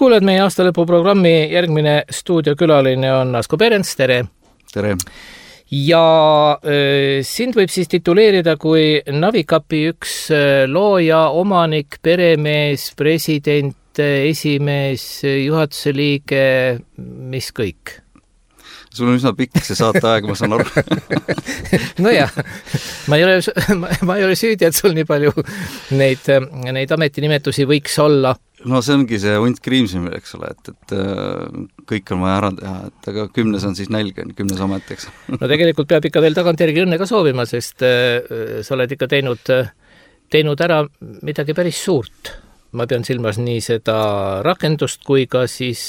kuuled meie aastalõpu programmi järgmine stuudiokülaline on Asko Perens, tere! Tere! Ja sind võib siis tituleerida kui Navicapi üks looja, omanik, peremees, president, esimees, juhatuse liige, mis kõik? Sul on üsna pikk see saateaeg, ma saan aru. Nojah, ma ei ole süüdi, et sul nii palju neid ametinimetusi võiks olla. No see ongi see hunt kriimsimine, eks ole, et kõik on vaja ära teha, et aga 10 on siis nälg, 10 amet, eks. No tegelikult peab ikka veel tagantjärgi õnne ka soovima, sest sa oled ikka teinud ära midagi päris suurt. Ma pean silmas nii seda rakendust kui ka siis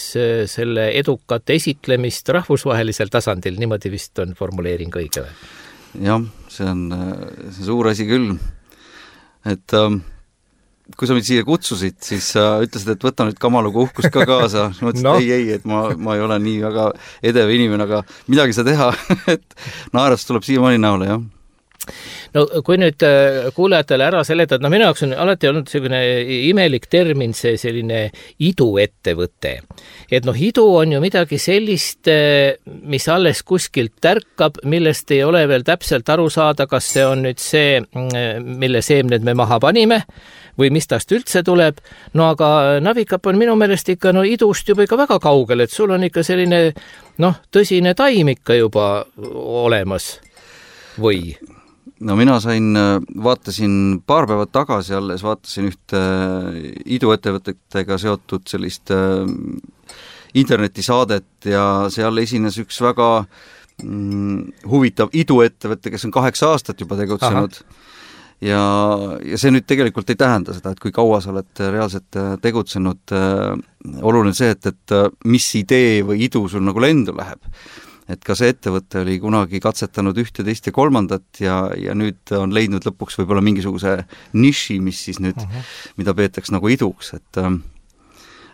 selle edukat esitlemist rahvusvahelisel tasandil, niimoodi vist on formuleering õige või? Jah, see on suur asi küll. Et kui sa mind siia kutsusid, siis sa ütlesid, et võta nüüd Kamaluga uhkust ka kaasa. Ma ütlesin, no. ei, et ma ei ole nii väga edev inimene, aga midagi sa teha, et naerast tuleb siiamaani näole, jah. No kui nüüd kuulajatele ära seletad, no minu jaoks on alati olnud selline imelik termin see selline iduettevõte. Et idu on ju midagi sellist, mis alles kuskilt tärkab, millest ei ole veel täpselt aru saada, kas see on nüüd see, mille seemned me maha panime või mis tast üldse tuleb. No aga Navicap on minu meelest ikka idust juba ikka väga kaugel, et sul on ikka selline tõsine taim ikka juba olemas või? No mina vaatasin paar päeva tagasi alles, vaatasin ühte iduettevõtetega seotud sellist internetisaadet ja seal esines üks väga huvitav iduettevõte, kes on 8 aastat juba tegutsenud. Ja see nüüd tegelikult ei tähenda seda, et kui kaua sa oled reaalselt tegutsenud. Oluline see, et mis idee või idu sul nagu lendu läheb. Et ka see ettevõte oli kunagi katsetanud 1, 2 ja 3 ja nüüd on leidnud lõpuks võib-olla mingisuguse niši, mis siis nüüd, mida peetaks nagu iduks.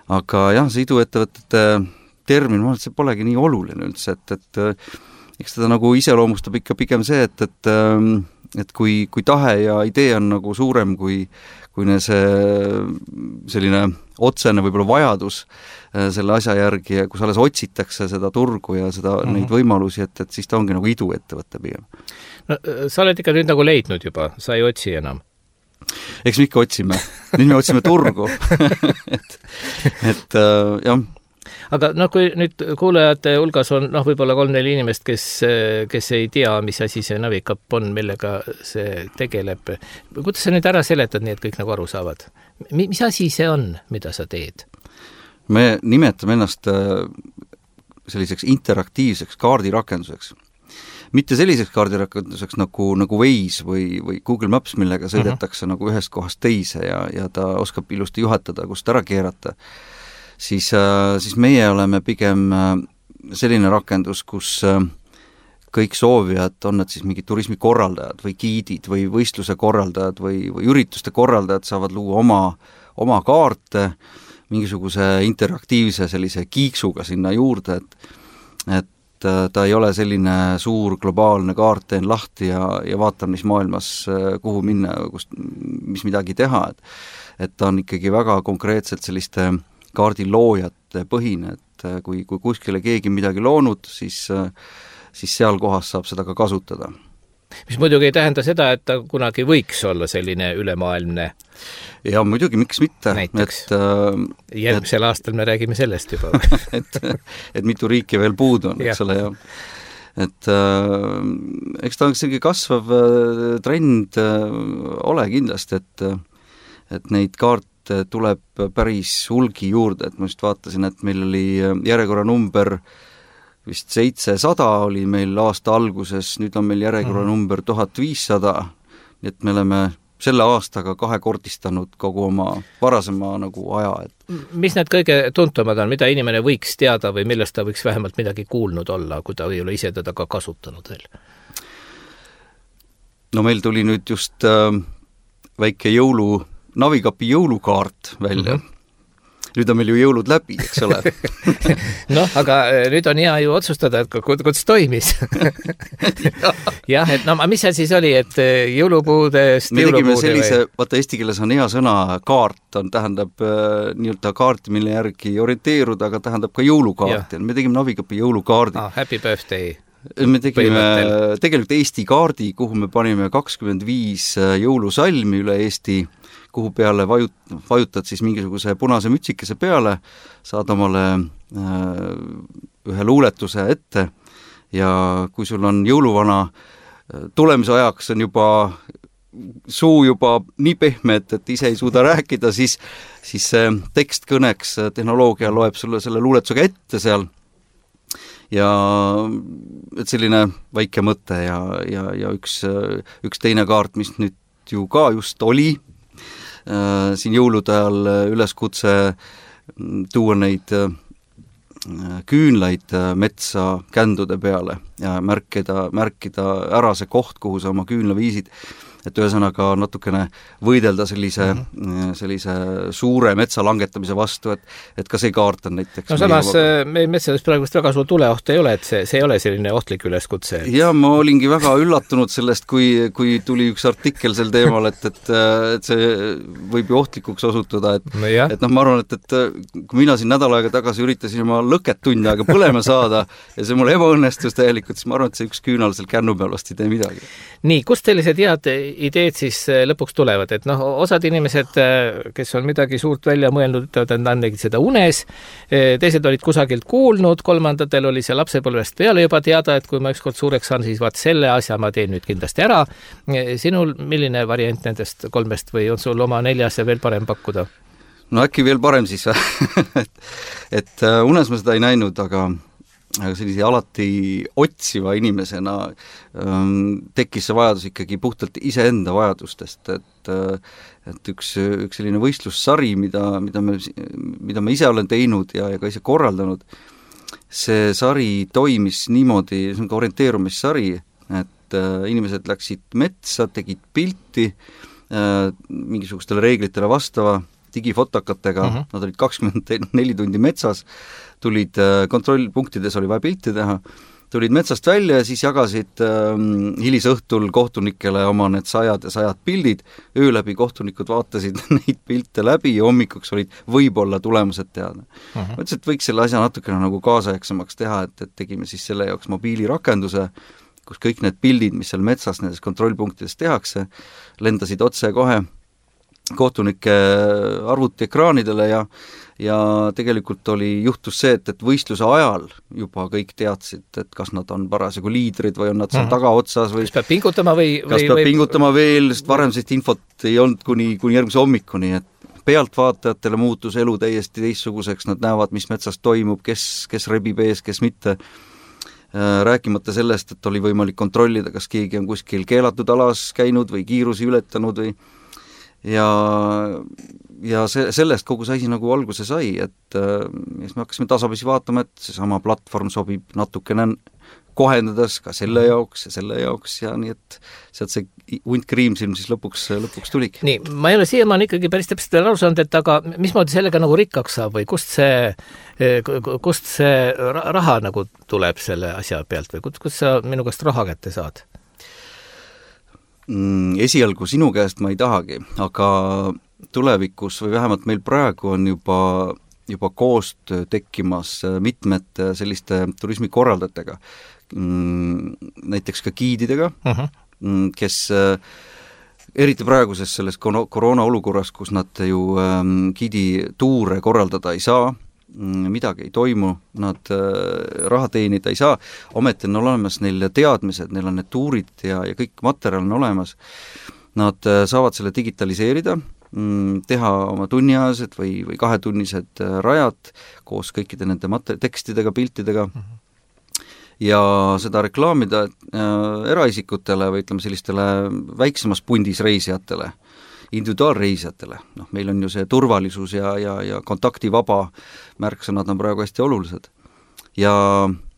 Aga jah, see iduettevõtete termin, ma arvan, et see polegi nii oluline üldse, et eks teda nagu iseloomustab ikka pigem see, et kui tahe ja idee on nagu suurem kui see selline otsene võib-olla vajadus selle asja järgi ja kus alles otsitakse seda turgu ja neid võimalusi, et siis ta ongi nagu iduettevõte pigem. No, sa oled ikka nüüd nagu leidnud juba, sa ei otsi enam. Eks me ikka otsime. Nüüd me otsime turgu. et jah. Aga kui nüüd kuulajate hulgas on võib-olla 3-4 inimest, kes ei tea, mis asi see Navicap on, millega see tegeleb. Kuidas sa nüüd ära seletad nii, et kõik nagu aru saavad? Mis asi see on, mida sa teed? Me nimetame ennast selliseks interaktiivseks kaardirakenduseks. Mitte selliseks kaardirakenduseks nagu Waze või Google Maps, millega sõidetakse nagu ühest kohast teise ja ta oskab ilusti juhatada, kust ära keerata. Siis meie oleme pigem selline rakendus, kus kõik soovijad, on nad siis mingid turismikorraldajad või giidid või võistluse korraldajad või ürituste korraldajad saavad luua oma kaarte mingisuguse interaktiivse sellise kiiksuga sinna juurde, et ta ei ole selline suur globaalne kaart, teen lahti ja vaatan, mis maailmas, kuhu minna, mis midagi teha, et ta on ikkagi väga konkreetselt selliste kaardiloojate põhine, et kui kuskile keegi midagi loonud, siis seal kohas saab seda ka kasutada. Mis muidugi ei tähenda seda, et ta kunagi võiks olla selline ülemaailmne. Ja muidugi, miks mitte. Näiteks, järgmisel aastal me räägime sellest juba. et mitu riiki veel puudu on, eks ole, ja. Et eks ta on selline kasvav trend ole kindlasti, et neid kaarte tuleb päris hulgi juurde, et ma just vaatasin, et meil oli järjekorra number vist 700 oli meil aasta alguses, nüüd on meil järjekorra number 1500, nii et me oleme selle aastaga 2-kordistanud kogu oma varasema nagu aja. Mis need kõige tuntumad on, mida inimene võiks teada või millest ta võiks vähemalt midagi kuulnud olla, kui ta ei ole ise teda ka kasutanud veel? No meil tuli nüüd just väike Navicapi jõulukaart välja. nüüd on meil ju jõulud läbi, eks ole. Noh, aga nüüd on hea ju otsustada, et kuidas toimis. Jah, et no mis see siis oli, et jõulupuudest me tegime sellise, vaata eesti keeles on hea sõna kaart, tähendab nii-öelda kaarti, mille järgi orienteeruda, aga tähendab ka jõulukaarti. Me tegime Navikapi jõulukaardi. Happy birthday. Me tegime tegelikult Eesti kaardi, kuhu me panime 25 jõulusalmi üle Eesti, kuhu peale vajutad siis mingisuguse punase mütsikese peale, saad omale ühe luuletuse ette ja kui sul on jõuluvana tulemise ajaks on juba suu juba nii pehme, et ise ei suuda rääkida, siis see tekst kõneks tehnoloogia loeb sulle selle luuletusega ette seal. Ja et selline väike mõte ja üks teine kaart, mis nüüd ju ka just oli siin jõulude ajal üleskutse tuua neid küünlaid metsa kändude peale ja märkida ära see koht, kuhu sa oma küünla viisid, et ühesõnaga natukene võidelda sellise suure metsa langetamise vastu, et ka see kaart on näiteks. No samas meie metsades praegust väga suur tuleoht ei ole, et see ei ole selline ohtlik üleskutse. Ja ma olingi väga üllatunud sellest, kui tuli üks artikkel sel teemal, et see võib ju ohtlikuks osutuda, et ma arvan, et kui mina siin nädal aega tagasi üritasin oma lõket tund aega põlema saada ja see mul ebaõnnestus täielikult, siis ma arvan, et see üks küünal seal kännu peal vast ei tee midagi. Nii, kust sellised head ideed siis lõpuks tulevad, et osad inimesed, kes on midagi suurt välja mõelnud, ütlevad, et nad tegid seda unes, teised olid kusagilt kuulnud, kolmandatel oli see lapsepõlvest peale juba teada, et kui ma ükskord suureks saan, siis vaat selle asja ma teen nüüd kindlasti ära. Sinul milline variant nendest kolmest või on sul oma 4 ja veel parem pakkuda? No äkki veel parem siis, et unes ma seda ei näinud, aga sellise alati otsiva inimesena tekkis see vajadus ikkagi puhtalt iseenda vajadustest, et üks selline võistlussari, mida ma ise olen teinud ja ka ise korraldanud, see sari toimis niimoodi, see on ka orienteerumissari, et inimesed läksid metsa, tegid pilti mingisugustele reeglitele vastava digifotokatega, nad olid 24 tundi metsas, tulid kontrollpunktides, oli vaja pilti teha, tulid metsast välja ja siis jagasid hilisõhtul kohtunikele oma need 100 pildid, öö läbi kohtunikud vaatasid neid pilte läbi ja hommikuks olid võib-olla tulemused teada. Mõtlesin, et võiks selle asja natukene nagu kaasaegsemaks teha, et tegime siis selle jaoks mobiilirakenduse, kus kõik need pildid, mis seal metsas nendes kontrollpunktides tehakse, lendasid otse kohe kohtunike arvutiekraanidele ja tegelikult juhtus see, et võistluse ajal juba kõik teadsid, et kas nad on parasjagu liidrid või on nad seal tagaotsas või kas peab pingutama pingutama veel, sest varem sellist infot ei olnud kuni järgmise hommikuni, et pealtvaatajatele muutus elu täiesti teistsuguseks, nad näevad, mis metsas toimub, kes rebib ees, kes mitte. Rääkimata sellest, et oli võimalik kontrollida, kas keegi on kuskil keelatud alas käinud või kiirusi ületanud või ja sellest kogu see asi nagu alguse sai, et siis me hakkasime tasapisi vaatama, et seesama platvorm sobib natukene kohendades ka selle jaoks ja nii, et sealt see hunt kriimsilm siis lõpuks tuligi. Nii, ma ei ole siiamaani ikkagi päris täpselt veel aru saanud, et aga mismoodi sellega nagu rikkaks saab või kust see raha nagu tuleb selle asja pealt või kust sa minu käest raha kätte saad? Esialgu sinu käest ma ei tahagi, aga tulevikus või vähemalt meil praegu on juba koostöö tekkimas mitmete selliste turismikorraldajatega, näiteks ka giididega, kes eriti praeguses selles koroona olukorras, kus nad ju giidituure korraldada ei saa, midagi ei toimu, nad raha teenida ei saa, ometi on olemas neil teadmised, neil on need tuurid ja kõik materjal on olemas, nad saavad selle digitaliseerida, teha oma tunniajased või 2-tunnised rajad koos kõikide nende tekstidega, piltidega ja seda reklaamida eraisikutele või ütleme sellistele väiksemas pundis reisijatele, individuaalreisijatele. Meil on ju see turvalisus ja kontaktivaba märksõnad on praegu hästi olulised. Ja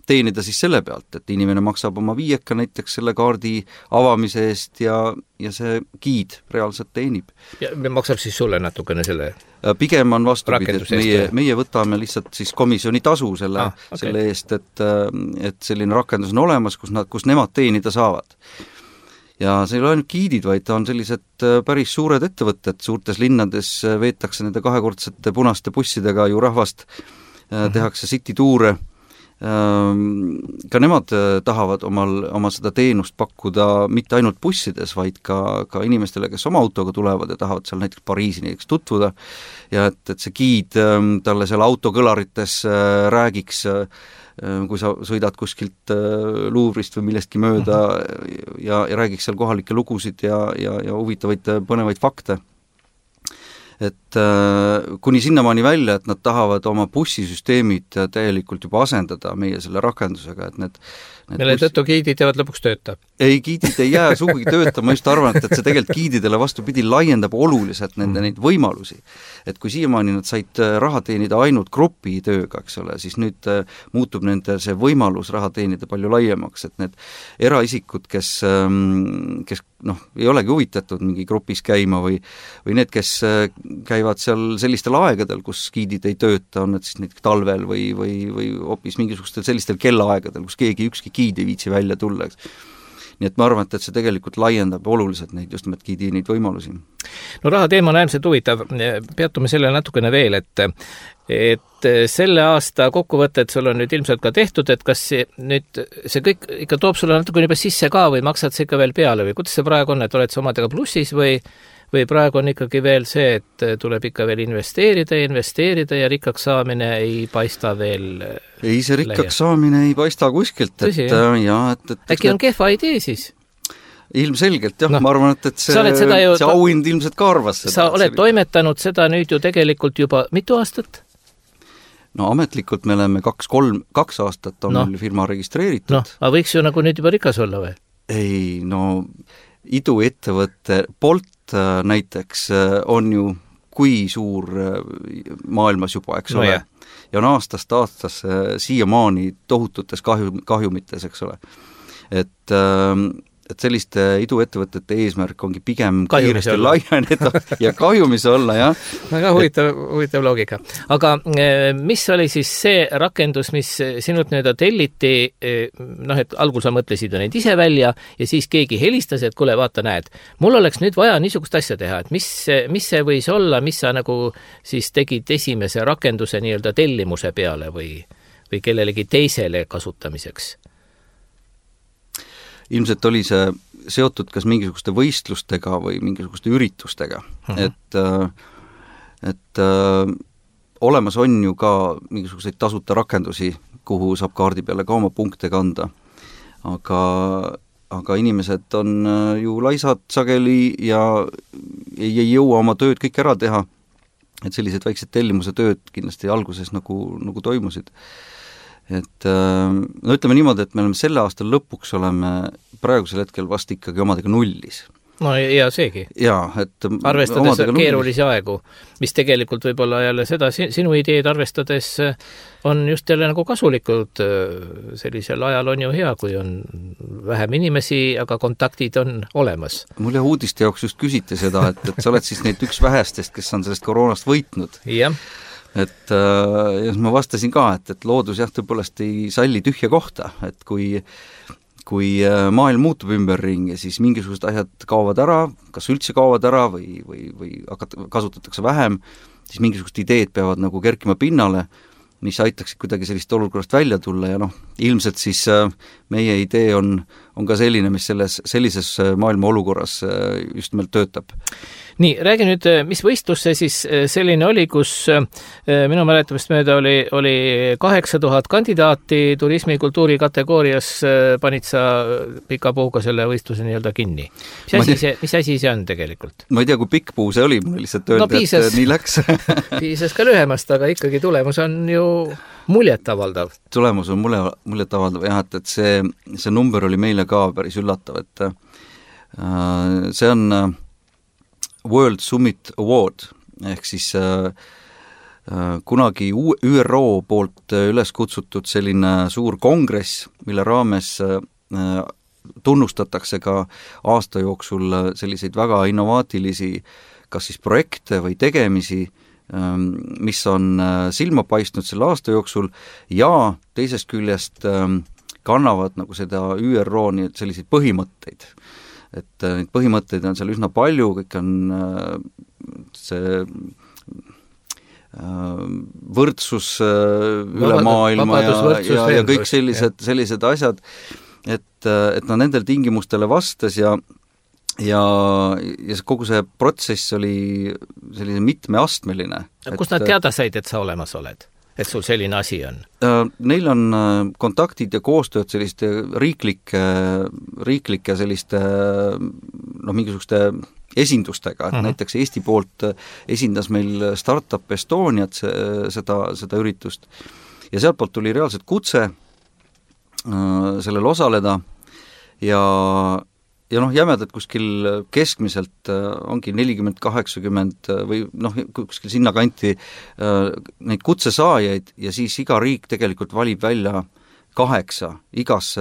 teenida siis selle pealt, et inimene maksab oma 5 näiteks selle kaardi avamise eest ja see giid reaalselt teenib. Ja maksab siis sulle natukene selle Pigem on vastupidi, et meie võtame lihtsalt siis komisjoni tasu selle eest, et selline rakendus on olemas, kus nemad teenida saavad. Ja see ei ole ainult giidid, vaid ta on sellised päris suured ettevõtted, suurtes linnades veetakse nende kahekordsete punaste bussidega ju rahvast, tehakse city-tuure, ka nemad tahavad oma seda teenust pakkuda mitte ainult bussides, vaid ka inimestele, kes oma autoga tulevad ja tahavad seal näiteks Pariisi näiteks tutvuda ja et see giid talle seal autokõlarites räägiks, kui sa sõidad kuskilt Luuvrist või millestki mööda ja räägiks seal kohalikke lugusid ja huvitavaid põnevaid fakte. Et kuni sinnamaani välja, et nad tahavad oma bussisüsteemid täielikult juba asendada meie selle rakendusega, et need mille tõttu giidid jäävad lõpuks tööta? Ei, giidid ei jää sugugi tööta, ma just arvan, et see tegelikult giididele vastupidi laiendab oluliselt neid võimalusi. Et kui siiamaani nad said raha teenida ainult grupitööga, eks ole, siis nüüd muutub nende see võimalus raha teenida palju laiemaks, et need eraisikud, kes ei olegi huvitatud mingi grupis käima või need, kes käivad seal sellistel aegadel, kus giidid ei tööta, on need siis näiteks talvel või hoopis mingisugustel sellistel kellaaegadel, kus ükski giid ei viitsi välja tulla, eks. Nii et ma arvan, et see tegelikult laiendab oluliselt neid just nimelt giidi neid võimalusi. No raha teema on äärmiselt huvitav, peatume sellele natukene veel, et selle aasta kokkuvõtted sul on nüüd ilmselt ka tehtud, et kas see kõik ikka toob sulle natukene juba sisse ka või maksad see ikka veel peale või kuidas see praegu on, et oled sa omadega plussis või praegu on ikkagi veel see, et tuleb ikka veel investeerida ja rikkaks saamine ei paista veel ei, see rikkaks saamine ei paista kuskilt. Tõsi, äkki on kehva idee siis? Ilmselgelt, jah, ma arvan, et see auhind ilmselt ka arvas seda. Sa oled toimetanud seda nüüd ju tegelikult juba mitu aastat? No ametlikult me oleme 2 aastat on meil firma registreeritud. Aga võiks ju nagu nüüd juba rikas olla või? Ei, iduettevõtte Bolt näiteks on ju kui suur maailmas juba, eks ole, ja on aastast siiamaani tohututes kahjumites, eks ole. Et selliste iduettevõtete eesmärk ongi pigem kiiresti laieneda ja kahjumis olla, jah. Väga huvitav loogika. Aga mis oli siis see rakendus, mis sinult telliti, et algul sa mõtlesid neid ise välja ja siis keegi helistas, et kuule, vaata, näed, mul oleks nüüd vaja niisugust asja teha, et mis see võis olla, mis sa nagu siis tegid esimese rakenduse nii-öelda tellimuse peale või kellelegi teisele kasutamiseks? Ilmselt oli see seotud kas mingisuguste võistlustega või mingisuguste üritustega, et olemas on ju ka mingisuguseid tasuta rakendusi, kuhu saab kaardi peale ka oma punkte kanda, aga inimesed on ju laisad sageli ja ei jõua oma tööd kõik ära teha, et sellised väiksed tellimuse tööd kindlasti alguses nagu toimusid. Et ütleme niimoodi, et me oleme selle aasta lõpuks praegusel hetkel vast ikkagi omadega nullis. No ja seegi. Jaa, et arvestades keerulisi aegu, mis tegelikult võib-olla jälle seda sinu ideed arvestades on just jälle nagu kasulikud. Sellisel ajal on ju hea, kui on vähem inimesi, aga kontaktid on olemas. Mul uudiste jaoks just küsiti seda, et sa oled siis neid üks vähestest, kes on sellest koroonast võitnud. Jah. Et ma vastasin ka, et loodus jah tõepoolest ei salli tühja kohta, et kui maailm muutub ümberringi, siis mingisugused asjad kaovad ära, kas üldse kaovad ära või kasutatakse vähem, siis mingisugused ideed peavad nagu kerkima pinnale, mis aitaksid kuidagi sellist olukorrast välja tulla ja ilmselt siis meie idee on ka selline, mis sellises maailma olukorras just nimelt töötab. Nii, räägi nüüd, mis võistlus see siis selline oli, kus minu mäletamist mööda oli 8000 kandidaati turismikultuuri kategoorias, panid sa pika puuga selle võistluse nii-öelda kinni. Mis asi see on tegelikult? Ma ei tea, kui pikk puu see oli, mul lihtsalt öelda, et nii läks. Piisas ka lühemast, aga ikkagi tulemus on ju muljetavaldav. Tulemus on muljetavaldav, jah, et see number oli meile ka päris üllatav, et see on World Summit Award, ehk siis kunagi ÜRO poolt üles kutsutud selline suur kongress, mille raames tunnustatakse ka aasta jooksul selliseid väga innovaatilisi kas siis projekte või tegemisi mis on silma paistnud selle aasta jooksul ja teisest küljest kannavad nagu seda ÜRO nii selliseid põhimõtteid. Et neid põhimõtteid on seal üsna palju, kõik on see võrdsus üle maailma ja kõik sellised asjad, et no nendel tingimustele vastas ja kogu see protsess oli selline mitmeastmeline. Kust nad teada said, et sa olemas oled? Et sul selline asi on? Neil on kontaktid ja koostööd selliste riiklike selliste mingisuguste esindustega, et näiteks Eesti poolt esindas meil Startup Estoniat seda üritust ja sealt poolt tuli reaalselt kutse sellel osaleda ja jämedalt kuskil keskmiselt ongi 40-80 või kuskil sinna kanti neid kutsesaajaid ja siis iga riik tegelikult valib välja 8 igasse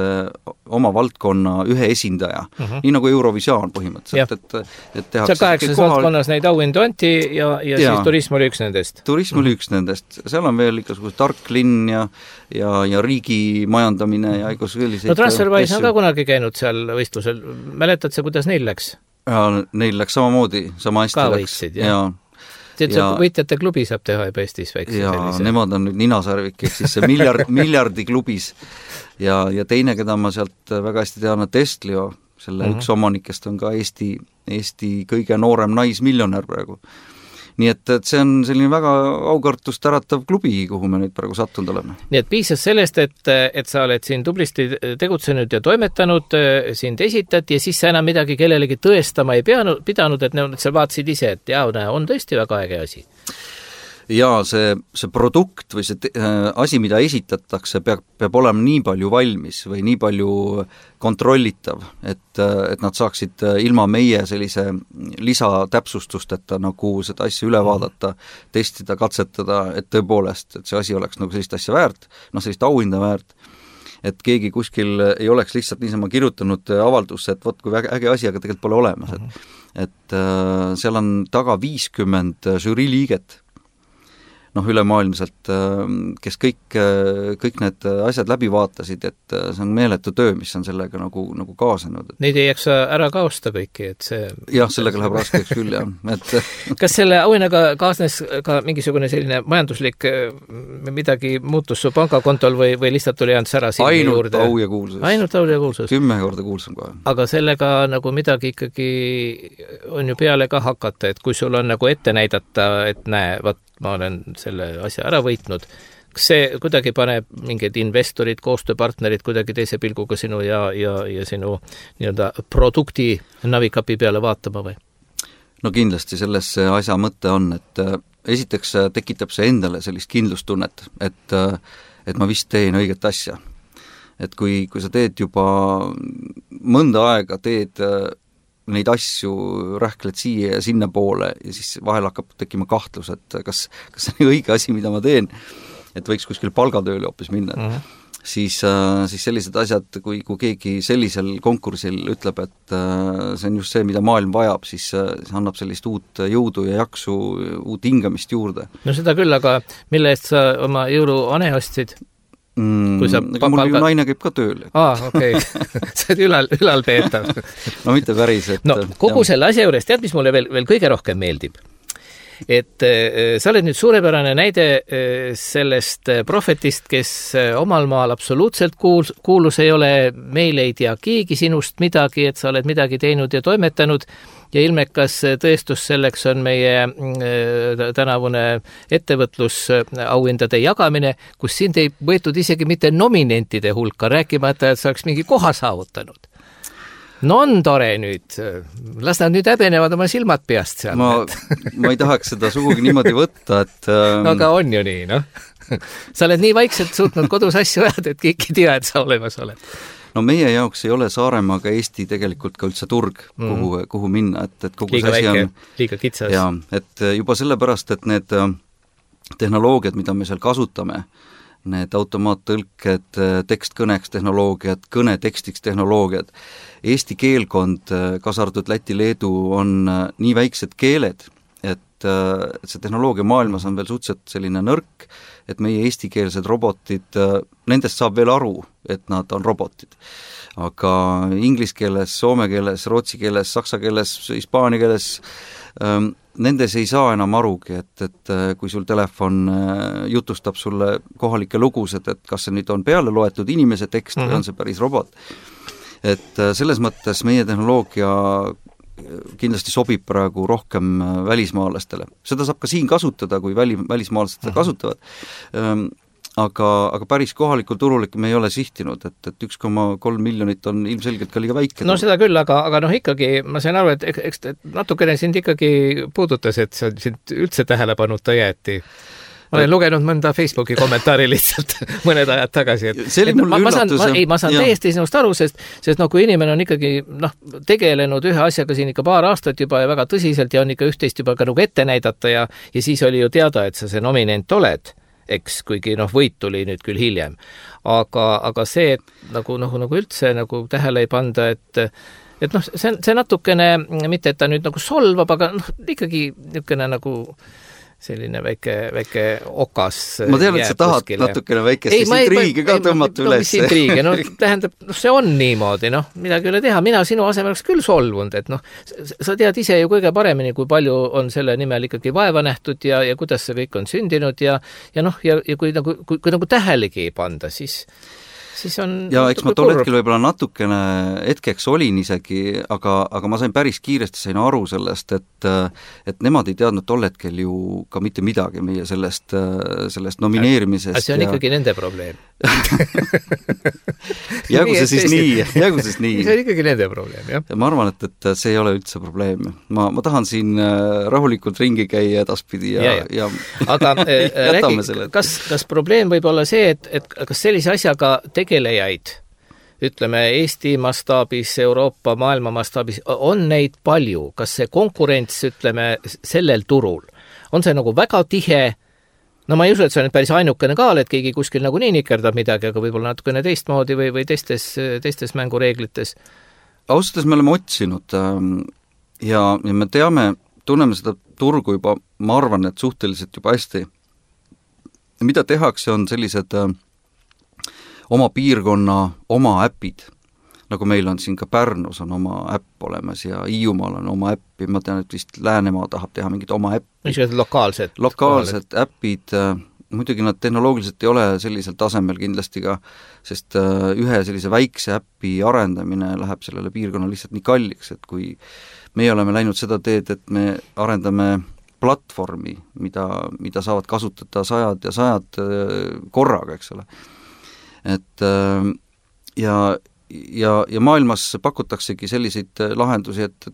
oma valdkonna ühe esindaja, nii nagu Eurovisioon põhimõtteliselt, et tehakse seal 8 valdkonnas neid auhindu anti ja siis turism oli üks nendest. Turism oli üks nendest, seal on veel igasugune tark linn ja riigi majandamine ja selliseid no TransferWise on ka kunagi käinud seal võistlusel, mäletad sa, kuidas neil läks? Ja neil läks samamoodi, sama hästi ka läks. Võitsid, võitjate klubi saab teha juba Eestis väikse sellise. Nemad on nüüd ninasarvik, ehk siis see miljardi klubis ja teine, keda ma sealt väga hästi tean, on Testlio, selle üks omanikest on ka Eesti kõige noorem naismiljonär praegu. Nii et see on selline väga aukartust äratav klubi, kuhu me nüüd praegu sattunud oleme. Nii et piisas sellest, et sa oled siin tublisti tegutsenud ja toimetanud, sind esitati ja siis sa enam midagi kellelegi tõestama ei pidanud, et sa vaatasid ise, et on tõesti väga äge asi. Ja see produkt või see asi, mida esitatakse, peab olema nii palju valmis või nii palju kontrollitav, et nad saaksid ilma meie sellise lisatäpsustusteta nagu seda asja üle vaadata, testida, katsetada, et tõepoolest, et see asi oleks nagu sellist asja väärt, sellist auhinda väärt, et keegi kuskil ei oleks lihtsalt niisama kirjutanud avaldusse, et vot kui äge asi, aga tegelikult pole olemas. Et seal on taga 50 žürii liiget, ülemaailmselt, kes kõik need asjad läbi vaatasid, et see on meeletu töö, mis on sellega nagu kaasanud. Neid ei jaksa ära kaosta kõiki, et see... Jah, sellega läheb raskeks küll, jah. Kas selle auhinnaga kaasnes ka mingisugune selline majanduslik midagi muutus su pangakontol või lihtsalt tuli ainult sära silmi juurde? Ainult au ja kuulsus. Ainult au ja kuulsus. 10 korda kuulsam kohe. Aga sellega nagu midagi ikkagi on ju peale ka hakata, et kui sul on nagu ette näidata, et näe, ma olen selle asja ära võitnud. Kas see kuidagi paneb mingid investorid, koostööpartnerid kuidagi teise pilguga sinu ja sinu nii-öelda produkti navikapi peale vaatama või? No kindlasti selles asja mõte on, et esiteks tekitab see endale sellist kindlustunnet, et ma vist teen õiget asja. Et kui sa teed juba mõnda aega, teed neid asju, rähkled siia ja sinna poole ja siis vahel hakkab tekkima kahtlus, et kas see on õige asi, mida ma teen, et võiks kuskil palgatööle hoopis minna. Siis sellised asjad, kui keegi sellisel konkursil ütleb, et see on just see, mida maailm vajab, siis see annab sellist uut jõudu ja jaksu, uut hingamist juurde. No seda küll, aga mille eest sa oma jõuluane ostsid? Mul ju naine käib ka tööl. Okei. See on ülalpeetav. No mitte päris. Kogu selle asja juures, tead, mis mulle veel kõige rohkem meeldib? Et sa oled nüüd suurepärane näide sellest prohvetist, kes omal maal absoluutselt kuulus ei ole, meil ei tea keegi sinust midagi, et sa oled midagi teinud ja toimetanud ja ilmekas tõestus selleks on meie tänavune ettevõtlusauhindade jagamine, kus sind ei võetud isegi mitte nominentide hulka, rääkimata, et sa oleks mingi koha saavutanud. No on tore nüüd, las nad nüüd häbenevad oma silmad peast seal. Ma ei tahaks seda sugugi niimoodi võtta, et... Aga on ju nii, Sa oled nii vaikselt suutnud kodus asju ajada, et kõik ei tea, et sa olemas oled. No meie jaoks ei ole Saaremaa ka Eesti tegelikult ka üldse turg, kuhu minna, et kogu liiga see asi väike, on... Liiga kitsas. Jaa, et juba sellepärast, et need tehnoloogiad, mida me seal kasutame, need automaattõlked, tekstkõneks tehnoloogiad, kõne tekstiks tehnoloogiad, Eesti keelkond, kaasa arvatud Läti, Leedu, on nii väiksed keeled, et et see tehnoloogia maailmas on veel suhteliselt selline nõrk, et meie eestikeelsed robotid, nendest saab veel aru, et nad on robotid. Aga inglise keeles, soome keeles, rootsi keeles, saksa keeles, hispaania keeles nendes ei saa enam arugi, et kui sul telefon jutustab sulle kohalikke lugusid, et kas see nüüd on peale loetud inimese tekst või on see päris robot. Et selles mõttes meie tehnoloogia kindlasti sobib praegu rohkem välismaalastele. Seda saab ka siin kasutada, kui välismaalased seda kasutavad. Aga päris kohalikul turul me ei ole sihtinud, et 1,3 miljonit on ilmselgelt ka liiga väike. No seda küll, aga ikkagi ma sain aru, et eks natukene sind ikkagi puudutas, et sind üldse tähelepanuta jäeti. Ma olen lugenud mõnda Facebooki kommentaari lihtsalt mõned ajad tagasi. Ma saan täiesti sinust aru, sest kui inimene on ikkagi tegelenud ühe asjaga siin ikka paar aastat juba ja väga tõsiselt ja on ikka üht-teist juba ka nagu ette näidata ja siis oli ju teada, et sa see nominent oled, eks, kuigi võit tuli nüüd küll hiljem. Aga see, et nagu üldse nagu tähele ei panda, et see natukene, mitte et ta nüüd nagu solvab, aga ikkagi niisugune nagu selline väike okas. Ma tean, et sa tahad natukene väikest intriigi ka tõmmata üles. Mis intriigi? Tähendab, see on niimoodi, midagi üle teha. Mina sinu asemel oleks küll solvunud, et sa tead ise ju kõige paremini, kui palju on selle nimel ikkagi vaeva nähtud ja kuidas see kõik on sündinud ja kui nagu tähelegi ei panda, siis on ja eks ma tol hetkel võib-olla natukene hetkeks olin isegi, aga ma sain päris kiiresti aru sellest, et nemad ei teadnud tol hetkel ju ka mitte midagi meie sellest nomineerimisest. See on ikkagi nende probleem. Jäägu see siis nii. See on ikkagi nende probleem, jah. Ma arvan, et see ei ole üldse probleem. Ma tahan siin rahulikult ringi käia edaspidi ja aga räägi, kas probleem võib olla see, et kas sellise asjaga tegelejaid, ütleme Eesti mastaabis, Euroopa, maailma mastaabis, on neid palju? Kas see konkurents, ütleme, sellel turul, on see nagu väga tihe? Ma ei usu, et see on päris ainukene ka, et keegi kuskil nagu nii nikerdab midagi, aga võib-olla natukene teistmoodi või teistes mängureeglites. Ausalt, me oleme otsinud ja me tunneme seda turgu juba, ma arvan, et suhteliselt juba hästi. Mida tehakse, on sellised oma piirkonna oma äpid, nagu meil on siin ka Pärnus on oma äpp olemas ja Hiiumaal on oma äppi, ma tean, et vist Läänemaa tahab teha mingit oma äppi. Lokaalsed äpid, muidugi nad tehnoloogiliselt ei ole sellisel tasemel kindlasti ka, sest ühe sellise väikse äppi arendamine läheb sellele piirkonnale lihtsalt nii kalliks, et kui meie oleme läinud seda teed, et me arendame platvormi, mida saavad kasutada sajad ja sajad korraga, eks ole. Et ja maailmas pakutaksegi selliseid lahendusi, et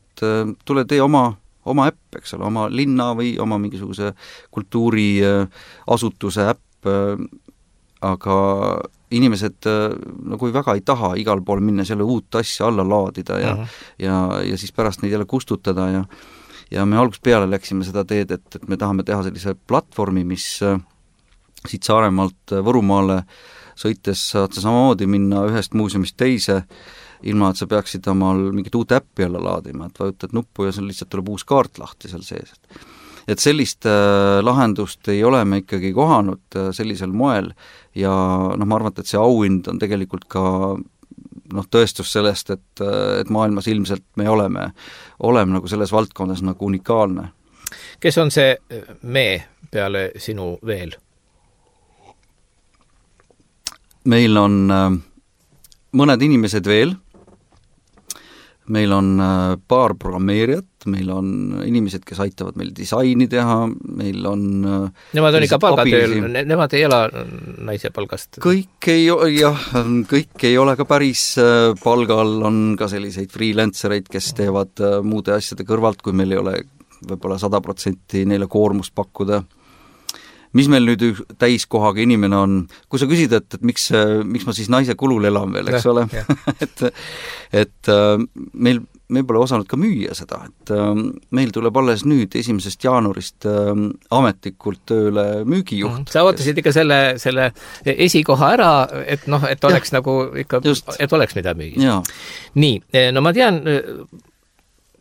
tule tee oma äpp, eks ole, oma linna või oma mingisuguse kultuuriasutuse äpp, aga inimesed nagu väga ei taha igal pool minna selle uut asja alla laadida ja siis pärast neid jälle kustutada ja me algusest peale läksime seda teed, et me tahame teha sellise platvormi, mis siit Saaremaalt Võrumaale sõites saad sa samamoodi minna ühest muuseumist teise, ilma et sa peaksid omal mingit uut äppi jälle laadima, et vajutad nuppu ja seal lihtsalt tuleb uus kaart lahti seal sees. Et sellist lahendust ei ole me ikkagi kohanud sellisel moel ja ma arvan, et see auhind on tegelikult ka tõestus sellest, et maailmas ilmselt me oleme nagu selles valdkonnas nagu unikaalne. Kes on see me peale sinu veel? Meil on mõned inimesed veel, meil on paar programmeerijat, meil on inimesed, kes aitavad meil disaini teha, meil on nemad on ikka palgatööl, nemad ei ela naise palgast? Kõik ei ole ka päris palgal, on ka selliseid freelancereid, kes teevad muude asjade kõrvalt, kui meil ei ole võib-olla 100% neile koormust pakkuda. Mis meil nüüd täiskohaga inimene on, kui sa küsid, et miks ma siis naise kulul elan veel, eks ole, et meil pole osanud ka müüa seda, et meil tuleb alles nüüd 1. jaanuarist ametlikult tööle müügijuht. Sa ootasid ikka selle esikoha ära, et oleks nagu ikka, et oleks mida müüa. Nii, no ma tean,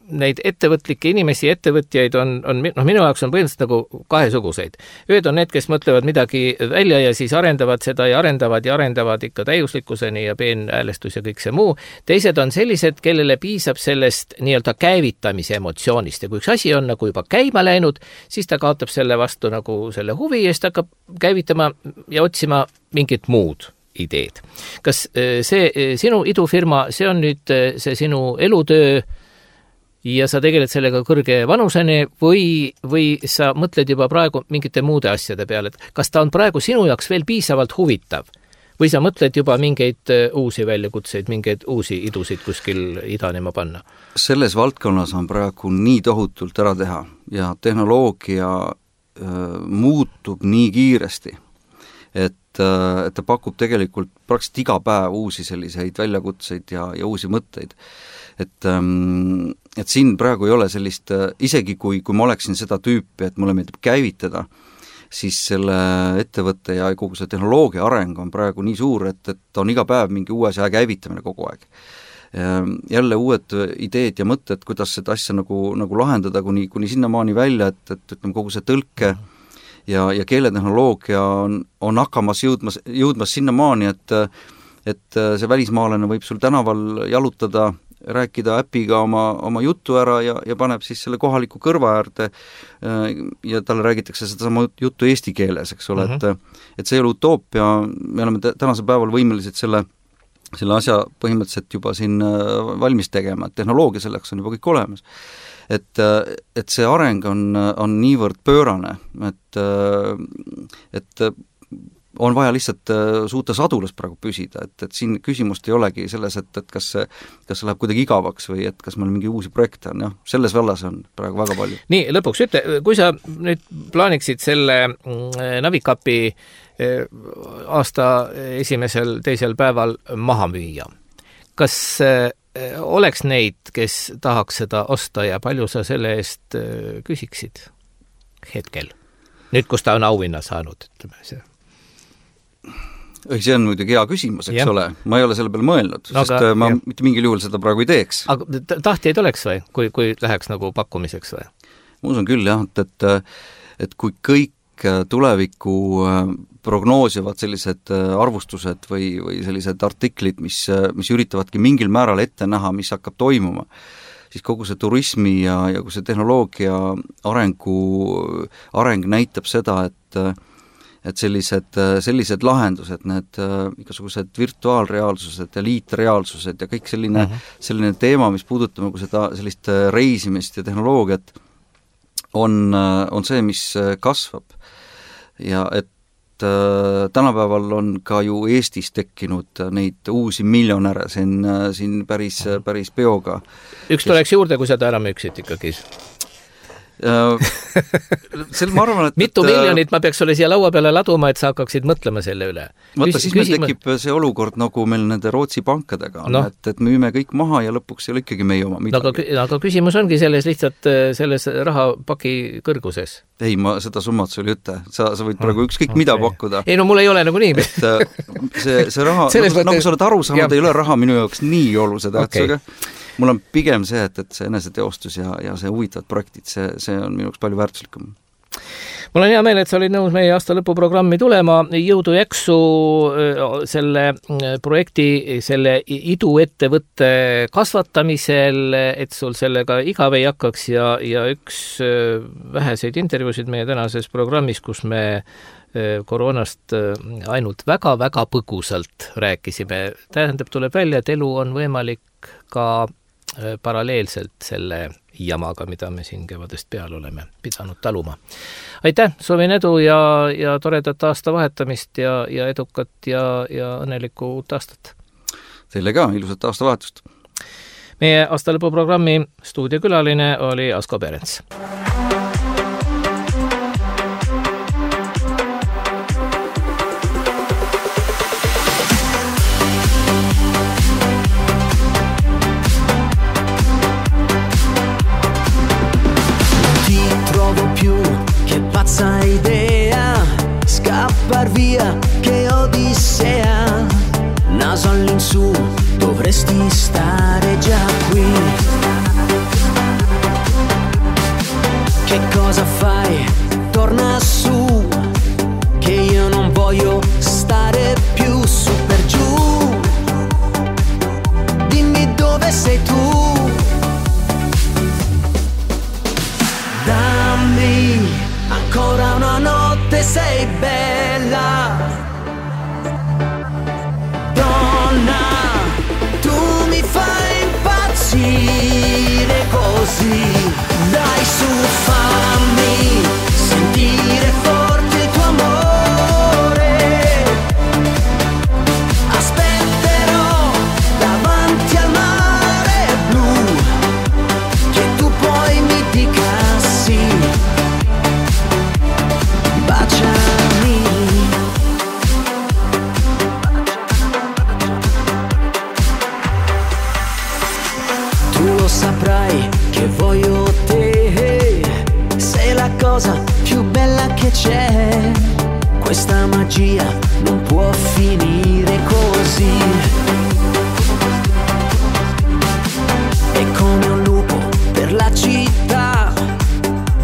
neid ettevõtlikke inimesi, ettevõtjaid on minu jaoks on põhimõtteliselt nagu kahesuguseid. Ühed on need, kes mõtlevad midagi välja ja siis arendavad seda ja arendavad ikka täiuslikkuseni ja peenhäälestus ja kõik see muu. Teised on sellised, kellele piisab sellest nii-öelda käivitamise emotsioonist ja kui üks asi on nagu juba käima läinud, siis ta kaotab selle vastu nagu selle huvi ja siis ta hakkab käivitama ja otsima mingit muud ideed. Kas see sinu idufirma, see on nüüd see sinu elutöö ja sa tegeled sellega kõrge vanuseni või sa mõtled juba praegu mingite muude asjade peale, et kas ta on praegu sinu jaoks veel piisavalt huvitav või sa mõtled juba mingeid uusi väljakutseid, mingeid uusi idusid kuskil idanema panna? Selles valdkonnas on praegu nii tohutult ära teha ja tehnoloogia muutub nii kiiresti, et ta pakub tegelikult praktiliselt iga päev uusi selliseid väljakutseid ja uusi mõtteid. Et siin praegu ei ole sellist, isegi kui ma oleksin seda tüüpi, et mulle meeldib käivitada, siis selle ettevõtte ja kogu see tehnoloogia areng on praegu nii suur, et on iga päev mingi uue asja käivitamine kogu aeg. Jälle uued ideed ja mõtted, kuidas seda asja nagu lahendada kuni sinnamaani välja, et ütleme, kogu see tõlke ja keeletehnoloogia on hakkamas jõudmas sinnamaani, et see välismaalane võib sul tänaval jalutada, rääkida äpiga oma juttu ära ja paneb siis selle kohaliku kõrva äärde ja talle räägitakse seda sama juttu eesti keeles, eks ole, et see ei ole utoopia, me oleme tänasel päeval võimelised selle asja põhimõtteliselt juba siin valmis tegema, et tehnoloogia selleks on juba kõik olemas. Et see areng on niivõrd pöörane, et on vaja lihtsalt suuta sadulas praegu püsida, et siin küsimust ei olegi selles, et kas see läheb kuidagi igavaks või et kas meil mingi uusi projekte on, selles vallas on praegu väga palju. Nii, lõpuks ütle, kui sa nüüd plaaniksid selle Navicapi aasta esimesel, teisel päeval maha müüa, kas oleks neid, kes tahaks seda osta ja palju sa selle eest küsiksid hetkel? Nüüd, kus ta on auhinna saanud, ütleme see. See on muidugi hea küsimus, eks ole. Ma ei ole selle peale mõelnud, sest ma mitte mingil juhul seda praegu ei teeks. Aga tahtjaid oleks või, kui läheks nagu pakkumiseks või? Ma usun küll jah, et kui kõik tulevikku prognoosivad sellised arvustused või sellised artiklid, mis üritavadki mingil määral ette näha, mis hakkab toimuma, siis kogu see turismi ja kogu see tehnoloogia areng näitab seda, et sellised lahendused, need igasugused virtuaalreaalsused ja liitreaalsused ja kõik selline teema, mis puudutab nagu seda sellist reisimist ja tehnoloogiat, on see, mis kasvab. Ja et tänapäeval on ka ju Eestis tekkinud neid uusi miljonäre siin päris peoga. Üks tuleks juurde, kui seda ära müüksid ikkagi. Ma arvan, et mitu miljonit ma peaks sulle siia laua peale laduma, et sa hakkaksid mõtlema selle üle. Vaata, siis meil tekib see olukord nagu meil nende Rootsi pankadega on, et müüme kõik maha ja lõpuks ei ole ikkagi meie oma midagi. Aga küsimus ongi lihtsalt selles rahapaki kõrguses. Ei, ma seda summat sul ei ütle. Sa võid praegu ükskõik mida pakkuda. Ei, no mul ei ole nagu nii. See raha, nagu sa oled aru saanud, ei ole raha minu jaoks nii olulise tähtsusega. Mul on pigem see, et see eneseteostus ja see huvitavad projektid, see on minu jaoks palju väärtuslikum. Mul on hea meel, et sa olid nõus meie aasta lõpuprogrammi tulema. Jõudu jaksu selle projekti, selle iduettevõtte kasvatamisel, et sul sellega igav ei hakkaks ja üks väheseid intervjuusid meie tänases programmis, kus me koroonast ainult väga-väga põgusalt rääkisime. Tähendab, tuleb välja, et elu on võimalik ka paralleelselt selle jamaga, mida me siin kevadest peal oleme pidanud taluma. Aitäh, soovin edu ja toredat aasta vahetamist ja edukat ja õnnelikku uut aastat. Teile ka ilusat aasta vahetust. Meie aasta lõpuprogrammi stuudiokülaline oli Asko Perens. Idea scappar via, che odissea, naso all'insù, dovresti stare già qui. voglio stare più su per giù. Dimmi dove sei tu. Dammi ancora una notte, sei bella donna, tu mi fai impazzire così. Dai su, fammi sentire forte il tuo amore. Aspetterò davanti al mare blu che tu poi mi dica sì. Baciami. Tu lo saprai che voglio te, sei la cosa più bella che c'è. Questa magia non può finire così. E come un lupo per la città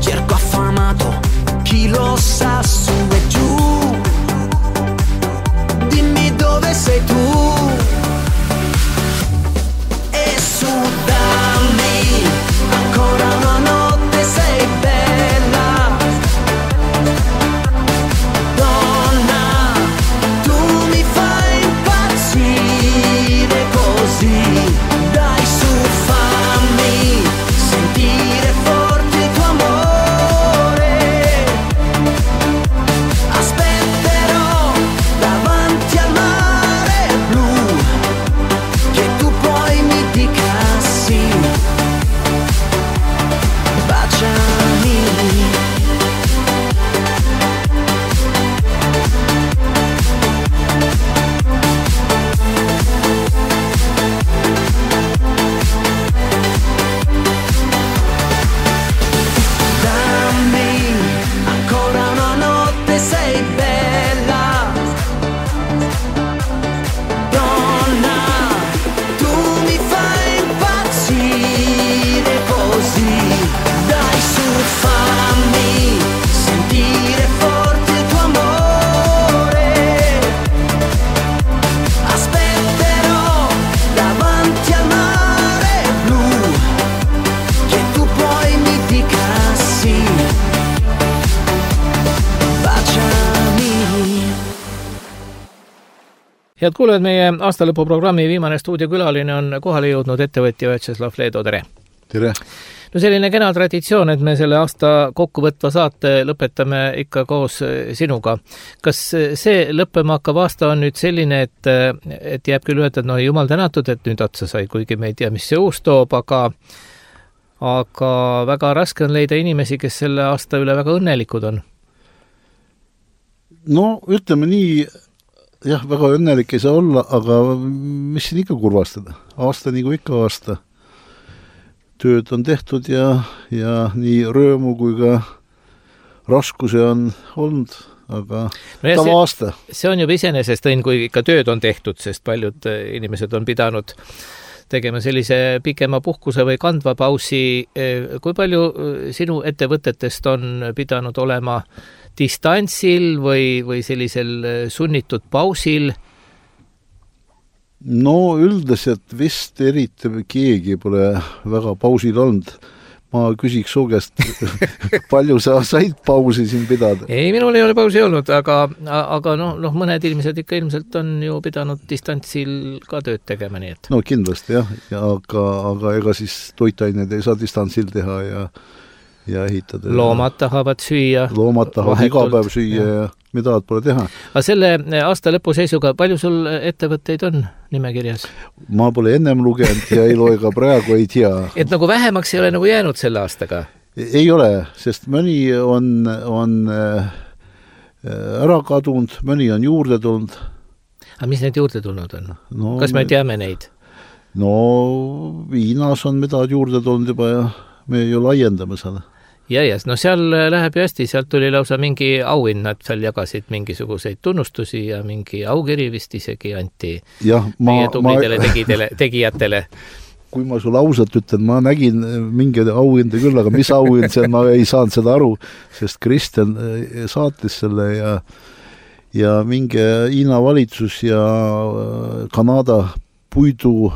cerco affamato chi lo sa su e giù. Dimmi dove sei tu. E su, dammi ancora una notte, sei bella donna, tu mi fai impazzire così. Dai su, fammi sentire forte il tuo amore. Aspetterò davanti al mare blu che tu poi mi dica sì. Baciami. Dammi ancora una notte, sei bella donna, tu mi fai impazzire così. Dai su, fammi sentire forte il tuo amore. Aspetterò davanti al mare blu che tu poi mi dica sì. Baciami. Head kuulajad, meie aastalõpuprogrammi viimane stuudiokülaline on kohale jõudnud ettevõtja Vjatšeslav Leedo, tere! tere! No selline kena traditsioon, et me selle aasta kokkuvõtva saate lõpetame ikka koos sinuga. Kas see lõppema hakkav aasta on nüüd selline, et jääb küll öelda, et no jumal tänatud, et nüüd otsa sai, kuigi me ei tea, mis see uus toob, aga väga raske on leida inimesi, kes selle aasta üle väga õnnelikud on. No ütleme nii, jah, väga õnnelik ei saa olla, aga mis siin ikka kurvastada? Aasta nagu ikka aasta. Tööd on tehtud ja nii röömu kui ka raskusi on olnud, aga no tava aasta. See on juba iseenesest õnn, kui ikka tööd on tehtud, sest paljud inimesed on pidanud tegema sellise pikema puhkuse või kandva pausi. Kui palju sinu ettevõtetest on pidanud olema distantsil või sellisel sunnitud pausil? No üldiselt vist eriti keegi pole väga pausil olnud. Ma küsiks su käest, palju sa said pausi siin pidada? Ei, minul ei ole pausi olnud, aga mõned inimesed ikka ilmselt on ju pidanud distantsil ka tööd tegema, nii et. No kindlasti jah, aga ega siis toitaineid ei saa distantsil teha ja ehitada. Loomad tahavad süüa. Loomad tahavad iga päev süüa ja mida pole teha. Aga selle aasta lõpu seisuga, palju sul ettevõtteid on nimekirjas? Ma pole ennem lugenud ja ei loe ka praegu, ei tea. Et nagu vähemaks ei ole nagu jäänud selle aastaga? Ei ole, sest mõni on ära kadunud, mõni on juurde tulnud. Aga mis need juurde tulnud on? No, kas me teame neid? No Hiinas on midagi juurde tulnud juba ja me ju laiendame seda. Ja, no seal läheb ju hästi, sealt tuli lausa mingi auhind, nad seal jagasid mingisuguseid tunnustusi ja mingi aukiri vist isegi anti meie tublidele tegijatele. Kui ma sulle ausalt ütlen, ma nägin mingi auhinde küll, aga mis auhind see, ma ei saanud seda aru, sest Kristjan saatis selle ja minge Hiina valitsus ja Kanada puidu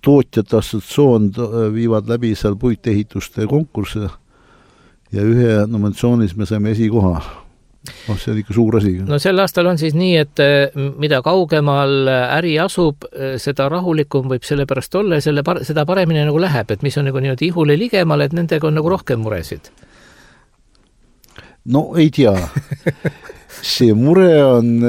tootjate assotsiatsioon viivad läbi seal puitehituste konkursse ja ühe nominatsioonis me saime esikoha. See on ikka suur asi. No sel aastal on siis nii, et mida kaugemal äri asub, seda rahulikum võib selle pärast olla ja seda paremini nagu läheb, et mis on nagu niimoodi ihule ligemal, et nendega on nagu rohkem muresid. No ei tea. See mure on,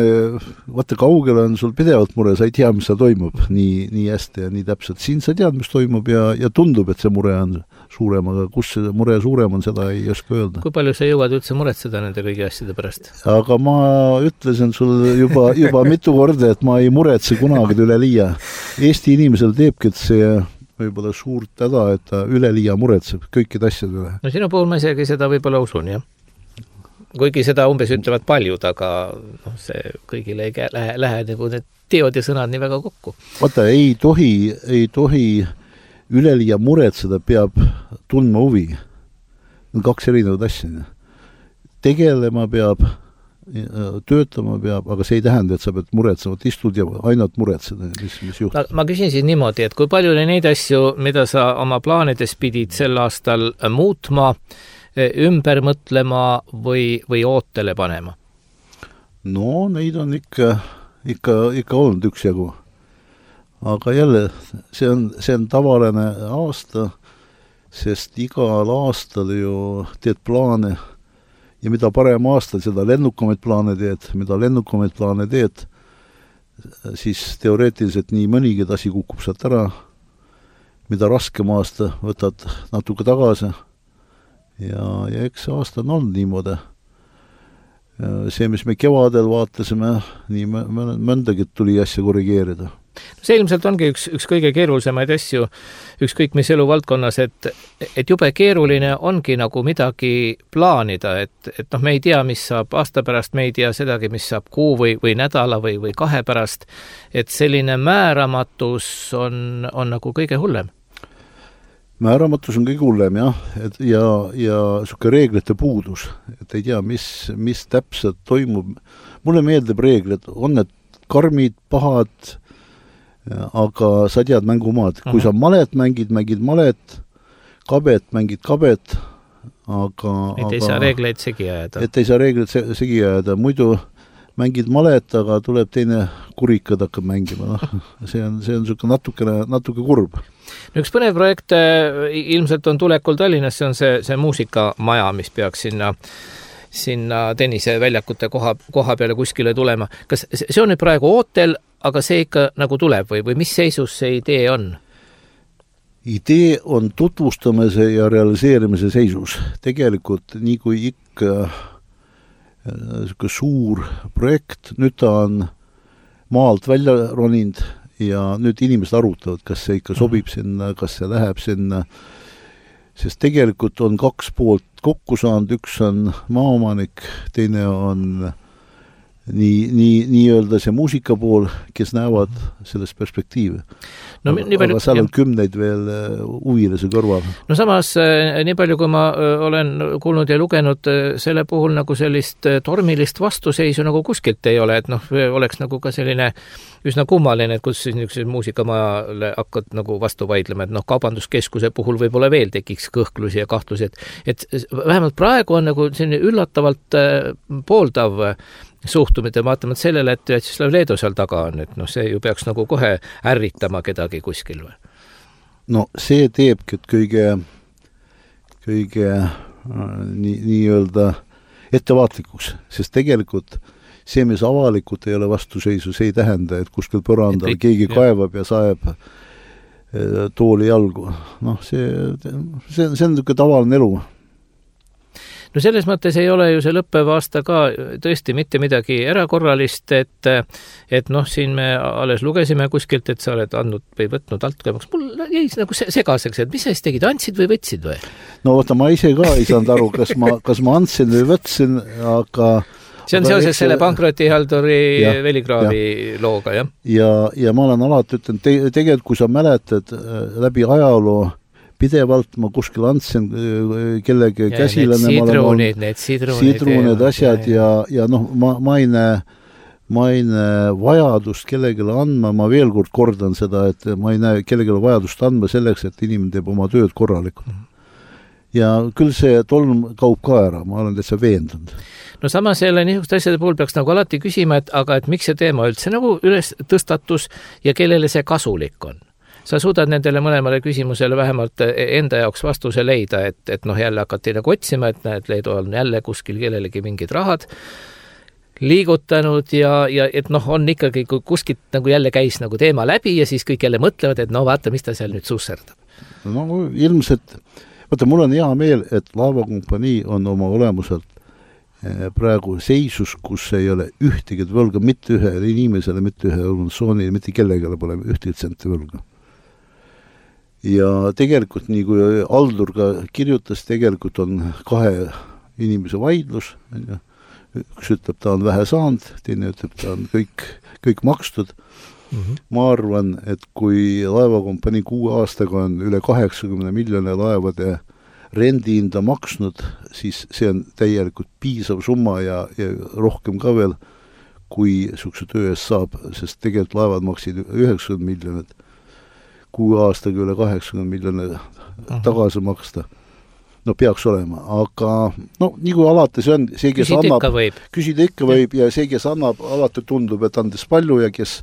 vaata kaugel on sul pidevalt mure, sa ei tea, mis seal toimub nii hästi ja nii täpselt. Siin sa tead, mis toimub ja tundub, et see mure on suurem, aga kus see mure suurem on, seda ei oska öelda. Kui palju sa jõuad üldse muretseda nende kõigi asjade pärast? Aga ma ütlesin sul juba mitu korda, et ma ei muretse kunagi üle liia. Eesti inimesel teebki, et see võib-olla suurt täda, et ta üle liia muretseb kõikide asjade üle. No sinu puhul ma isegi seda võib-olla usun, jah. Kuigi seda umbes ütlevad paljud, aga see kõigile ei lähe nagu need teod ja sõnad nii väga kokku. Vaata, ei tohi üleliia muretseda, peab tundma huvi. On kaks erinevad asja. Tegelema peab, töötama peab, aga see ei tähenda, et sa pead muretsema, et istud ja ainult muretseda, mis juhtub. Ma küsin siis niimoodi, et kui palju oli neid asju, mida sa oma plaanides pidid sel aastal muutma, ümber mõtlema või ootele panema? No, neid on ikka olnud üksjagu. Aga jälle, see on tavaline aasta, sest igal aastal ju teed plaane ja mida parem aasta, seda lennukamaid plaane teed, siis teoreetiliselt nii mõnigi asi kukub sealt ära, mida raskem aasta võtad natuke tagasi ja eks aasta on olnud niimoodi. See, mis me kevadel vaatasime, nii mõndagi tuli asja korrigeerida. See ilmselt ongi üks kõige keerulisemaid asju, ükskõik mis eluvaldkonnas, et jube keeruline ongi nagu midagi plaanida, et me ei tea, mis saab aasta pärast, me ei tea sedagi, mis saab kuu või nädala või 2 pärast, et selline määramatus on nagu kõige hullem. Määramatus on kõige hullem, jah, ja suke reeglite puudus, et ei tea, mis täpselt toimub. Mulle meeldib reeglid, on need karmid, pahad, aga sa tead mängumaad. Kui sa malet mängid malet, mängid kabet, aga... Et ei saa reegleid segi ajada. Muidu mängid malet, aga tuleb teine kurikad hakkab mängima. See on natuke kurb. Üks põnev projekt ilmselt on tulekul Tallinnas, see on see muusikamaja, mis peaks sinna tenniseväljakute koha peale kuskile tulema. Kas see on nüüd praegu ootel, aga see ikka nagu tuleb või mis seisus see idee on? Idee on tutvustamise ja realiseerimise seisus. Tegelikult nii kui ikka suur projekt, nüüd ta on maalt välja roninud ja nüüd inimesed arutavad, kas see ikka sobib sinna, kas see läheb sinna, sest tegelikult on 2 poolt kokku saanud, üks on maaomanik, teine on nii öelda see muusika pool, kes näevad selles perspektiivi. No, aga seal on 10 veel huvilise kõrval. No samas, nii palju kui ma olen kuulnud ja lugenud, selle puhul nagu sellist tormilist vastuseisu nagu kuskilt ei ole, et oleks nagu ka selline üsna kummaline, et kus siis niisuguse muusikamajale hakkad nagu vastu vaidlema, et kaubanduskeskuse puhul võib-olla veel tekiks kõhklusi ja kahtlusi, et vähemalt praegu on nagu selline üllatavalt pooldav suhtumine, vaatamata sellele, et Vjatšeslav Leedo seal taga on, et see ju peaks nagu kohe ärritama kedagi kuskil või? No see teebki, et kõige nii-öelda ettevaatlikuks, sest tegelikult see, mis avalikult ei ole vastuseisu, see ei tähenda, et kuskil põrandal keegi kaevab ja saeb tooli jalgu. See on tavaline elu. No selles mõttes ei ole ju see lõppev aasta ka tõesti mitte midagi erakorralist, et siin me alles lugesime kuskilt, et sa oled andnud või võtnud altkäemaks. Mul jäi nagu segaseks, et mis sa siis tegid, andsid või võtsid või? No vaata, ma ise ka ei saanud aru, kas ma andsin või võtsin, aga... See on seoses selle pankrotihalduri Veligraavi looga, jah? Ja ma olen alati ütlen, tegelikult kui sa mäletad läbi ajaloo, pidevalt ma kuskil andsin kellegi käsilane. Need sidrunid, asjad ja noh, ma ei näe vajadust kellegile andma, ma veel kord kordan seda, et ma ei näe kellegile vajadust andma selleks, et inimene teeb oma tööd korralikult. Ja küll see tolm kaup ka ära, ma olen täitsa veendunud. No samas jälle niisuguste asjade puhul peaks nagu alati küsima, aga et miks see teema üldse nagu üles tõstatus ja kellele see kasulik on. Sa suudad nendele mõlemale küsimusele vähemalt enda jaoks vastuse leida, et noh, jälle hakati nagu otsima, et näed, Leedu on jälle kuskil kellelegi mingid rahad liigutanud ja et noh, on ikkagi kuskilt nagu jälle käis nagu teema läbi ja siis kõik jälle mõtlevad, et no vaata, mis ta seal nüüd susserdab. No ilmselt, vaata, mul on hea meel, et laevakompanii on oma olemuselt praegu seisus, kus ei ole ühtegi võlga, mitte ühele inimesele, mitte ühe organisatsioonile, mitte kellegale pole ühtegi senti võlga. Ja tegelikult, nii kui Aldur ka kirjutas, tegelikult on kahe inimese vaidlus, üks ütleb, ta on vähe saanud, teine ütleb, ta on kõik makstud. Ma arvan, et kui laevakompanii 6 aastaga on üle 80 miljoni laevade rendihinda maksnud, siis see on täielikult piisav summa ja rohkem ka veel, kui sukse töö eest saab, sest tegelikult laevad maksid 90 miljonit, 6 aastaga üle 80 miljoni tagasi maksta. No peaks olema, aga no nii kui alati see on, see, kes küsida ikka võib ja see, kes annab, alati tundub, et andis palju ja kes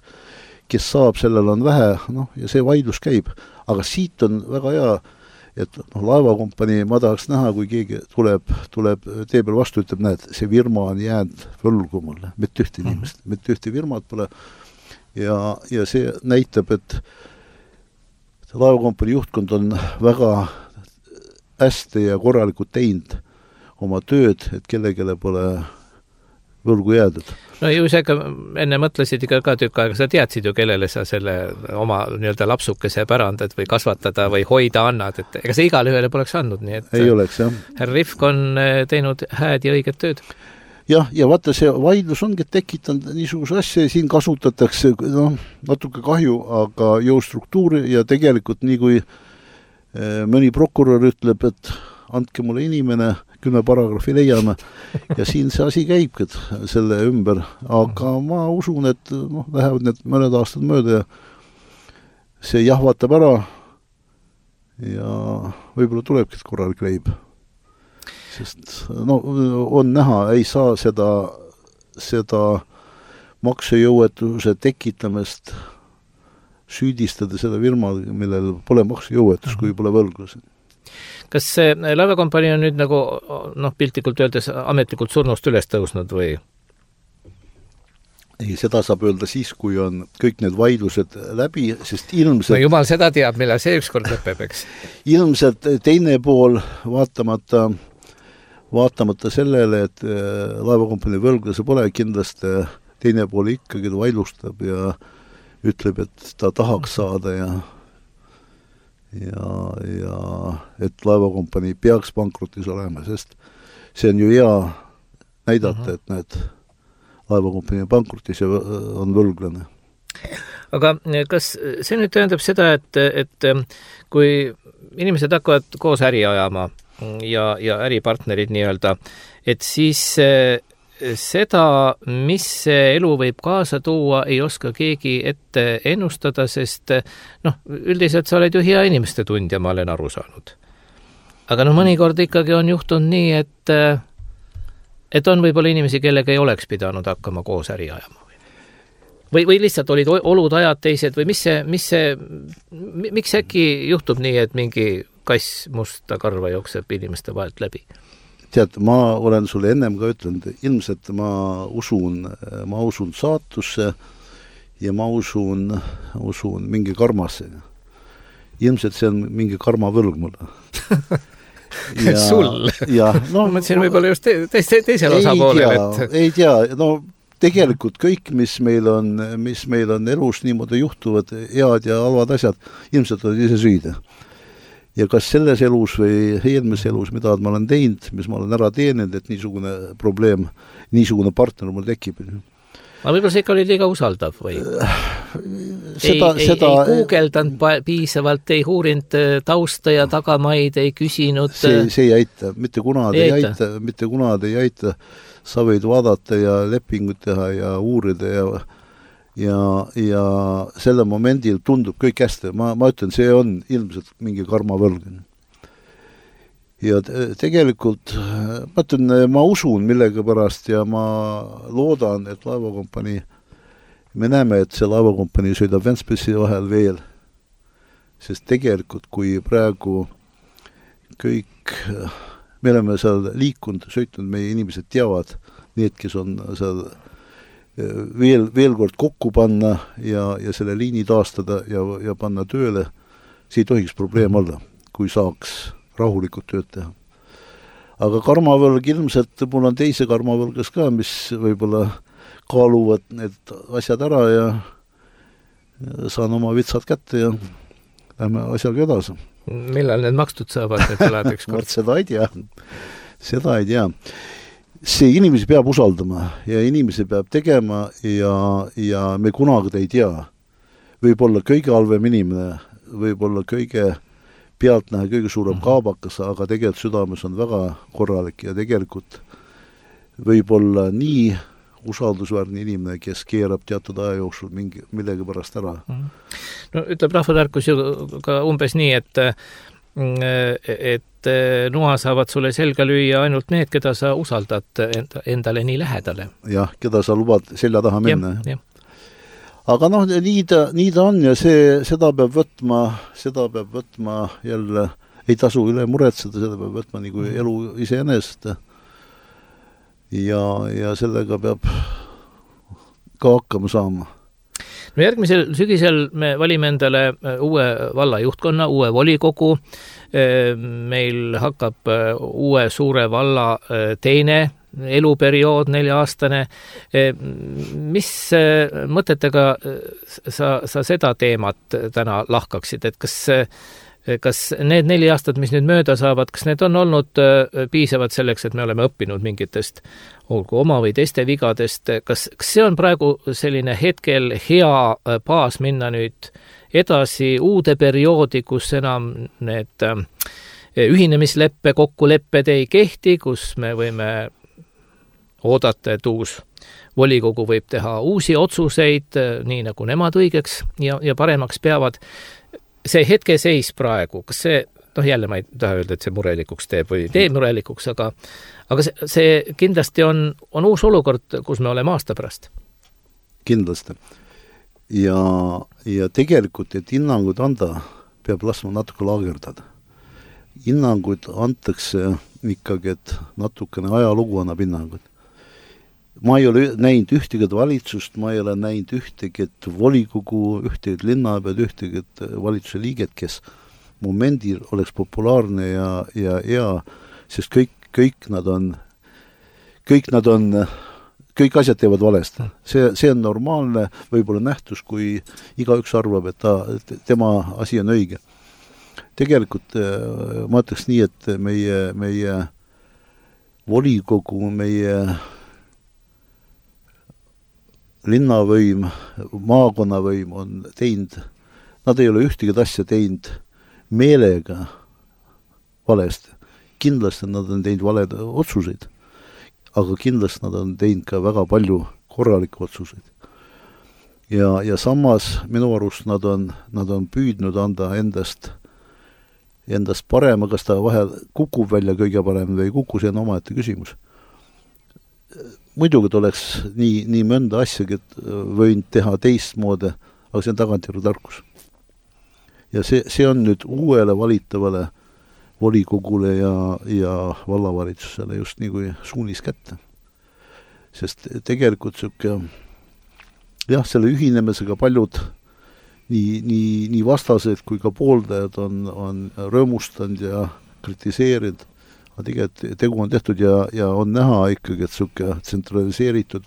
saab, sellel on vähe, noh, ja see vaidlus käib. Aga siit on väga hea, et noh, laevakompanii ma tahaks näha, kui keegi tuleb tee peal vastu, ütleb, näed, see firma on jäänud võlgu mulle, mitte ühte inimest, mitte ühte firmat pole ja see näitab, et laevakompanii juhtkond on väga hästi ja korralikult teinud oma tööd, et kellegele pole võlgu jäädud. No ju seega enne mõtlesid ka tükk aega, sa teadsid ju, kellele sa selle oma nii-öelda lapsukese pärandad või kasvatada või hoida annad, et ega see igale ühele poleks andnud, nii et ei oleks, jah. Härra Rifk on teinud hääd ja õiget tööd. Ja vaata, see vaidlus ongi tekitanud niisuguse asja, siin kasutatakse natuke kahju, aga jõustruktuuri ja tegelikult nii kui mõni prokurör ütleb, et andke mulle inimene, 10 paragrahvi leiame ja siin see asi käibki selle ümber, aga ma usun, et lähevad need mõned aastad mööda ja see jahvatab ära ja võib-olla tulebki korralik leib. Sest on näha, ei saa seda maksejõuetuse tekitamist süüdistada selle firma, millel pole maksejõuetus, kui pole võlgus. Kas see laevakompanii on nüüd nagu piltlikult öeldes ametlikult surnust üles tõusnud või? Ei, seda saab öelda siis, kui on kõik need vaidlused läbi, sest ilmselt... No jumal seda teab, millal see ükskord lõpeb, eks? Ilmselt teine pool, vaatamata sellele, et laevakompanii võlglase pole, kindlasti teine pool ikkagi vaidlustab ja ütleb, et ta tahaks saada ja et laevakompanii peaks pankrotis olema, sest see on ju hea näidata, et need laevakompanii pankrotis on võlglane. Aga kas see nüüd tähendab seda, et kui inimesed hakkavad koos äri ajama ja äripartnerid nii-öelda, et siis seda, mis see elu võib kaasa tuua, ei oska keegi ette ennustada, sest üldiselt sa oled ju hea inimeste tundja, ma olen aru saanud. Aga mõnikord ikkagi on juhtunud nii, et on võib-olla inimesi, kellega ei oleks pidanud hakkama koos äri ajama. Või lihtsalt olid olud ajad teised või miks äkki juhtub nii, et mingi kass musta karva jookseb inimeste vahelt läbi? Tead, ma olen sulle ennem ka ütlenud, ilmselt ma usun saatusse ja ma usun mingi karmasse. Ilmselt see on mingi karmavõlg mulle. Sul? Ma mõtlesin võib-olla just teisel osapoolel. Ei tea, tegelikult kõik, mis meil on elus niimoodi juhtuvad, head ja halvad asjad, ilmselt on ise süüda. Ja kas selles elus või eelmises elus, mida ma olen teinud, mis ma olen ära teeninud, et niisugune probleem, niisugune partner mul tekib. aga võib-olla see ikka oli liiga usaldav või? Ei guugeldanud piisavalt, ei uurinud tausta ja tagamaid, ei küsinud. See ei aita, mitte kunagi ei aita. Sa võid vaadata ja lepingut teha ja uurida ja selle momendil tundub kõik hästi. Ma ütlen, see on ilmselt mingi karmavõlg. Ja tegelikult, ma ütlen, ma usun millega pärast ja ma loodan, et laevakompanii, me näeme, et see laevakompanii sõidab Ventspilsi vahel veel, sest tegelikult, kui praegu kõik, me oleme seal liikunud, sõitnud, meie inimesed teavad, need, kes on seal veel kord kokku panna ja selle liini taastada ja panna tööle, see ei tohiks probleem olla, kui saaks rahulikult tööd teha. Aga karmavõlg ilmselt, mul on teise karmavõlgas ka, mis võib-olla kaaluvad need asjad ära ja saan oma vitsad kätte ja lähme asjaga edasi. Millal need makstud saavad, need elad ükskord? Seda ei tea. See inimesi peab usaldama ja inimesi peab tegema ja me kunagi ei tea. Võib-olla kõige halvem inimene, võib-olla kõige pealtnäha kõige suurem kaabakas, aga tegelikult südames on väga korralik ja tegelikult võib-olla nii usaldusväärne inimene, kes keerab teatud aja jooksul millegi pärast ära. No ütleb rahvatarkus ju ka umbes nii, et noa saavad sulle selga lüüa ainult need, keda sa usaldad endale nii lähedale. Jah, keda sa lubad selja taha minna. Ja. Aga nii ta on ja seda peab võtma jälle, ei tasu üle muretseda, seda peab võtma nagu elu iseenesest. Ja sellega peab ka hakkama saama. No järgmisel sügisel me valime endale uue vallajuhtkonna, uue volikogu. Meil hakkab uue suure valla teine eluperiood, 4-aastane. Mis mõtetega sa seda teemat täna lahkaksid, et kas need 4 aastat, mis nüüd mööda saavad, kas need on olnud piisavad selleks, et me oleme õppinud mingitest olgu oma või teiste vigadest, kas see on praegu selline hetkel hea baas minna nüüd edasi uude perioodi, kus enam need ühinemisleppe kokkulepped ei kehti, kus me võime oodata, et uus volikogu võib teha uusi otsuseid, nii nagu nemad õigeks ja paremaks peavad. See hetkeseis praegu, kas see, jälle ma ei taha öelda, et see murelikuks teeb või tee murelikuks, aga see kindlasti on uus olukord, kus me oleme aasta pärast. Kindlasti. Ja tegelikult, et hinnangud anda, peab laskma natuke laagerdada. Hinnangud antakse ikkagi, et natukene ajalugu annab hinnangud. Ma ei ole näinud ühtegi valitsust, ma ei ole näinud ühtegi volikogu, ühtegi linnapead, ühtegi valitsuse liiget, kes momendil oleks populaarne ja sest kõik kõik asjad teevad valesti. See on normaalne võib-olla nähtus, kui igaüks arvab, et tema asi on õige. Tegelikult ma ütleks nii, et meie volikogu, meie linnavõim, maakonnavõim on teinud, nad ei ole ühtegi asja teinud meelega valesti. Kindlasti nad on teinud valed otsuseid, aga kindlasti nad on teinud ka väga palju korralikke otsuseid. Ja samas minu arust nad on püüdnud anda endast parema, kas ta vahel kukub välja kõige parem või ei kuku, see on omaette küsimus. Muidugi oleks nii mõnda asjagi võinud teha teistmoodi, aga see on tagantjärgi tarkus. Ja see on nüüd uuele valitavale volikogule ja vallavalitsusele just nii kui suunis kätte. Sest tegelikult selle ühinemisega paljud nii vastased kui ka pooldajad on rõõmustanud ja kritiseerinud. Aga tegelikult tegu on tehtud ja on näha ikkagi, et tsentraliseeritud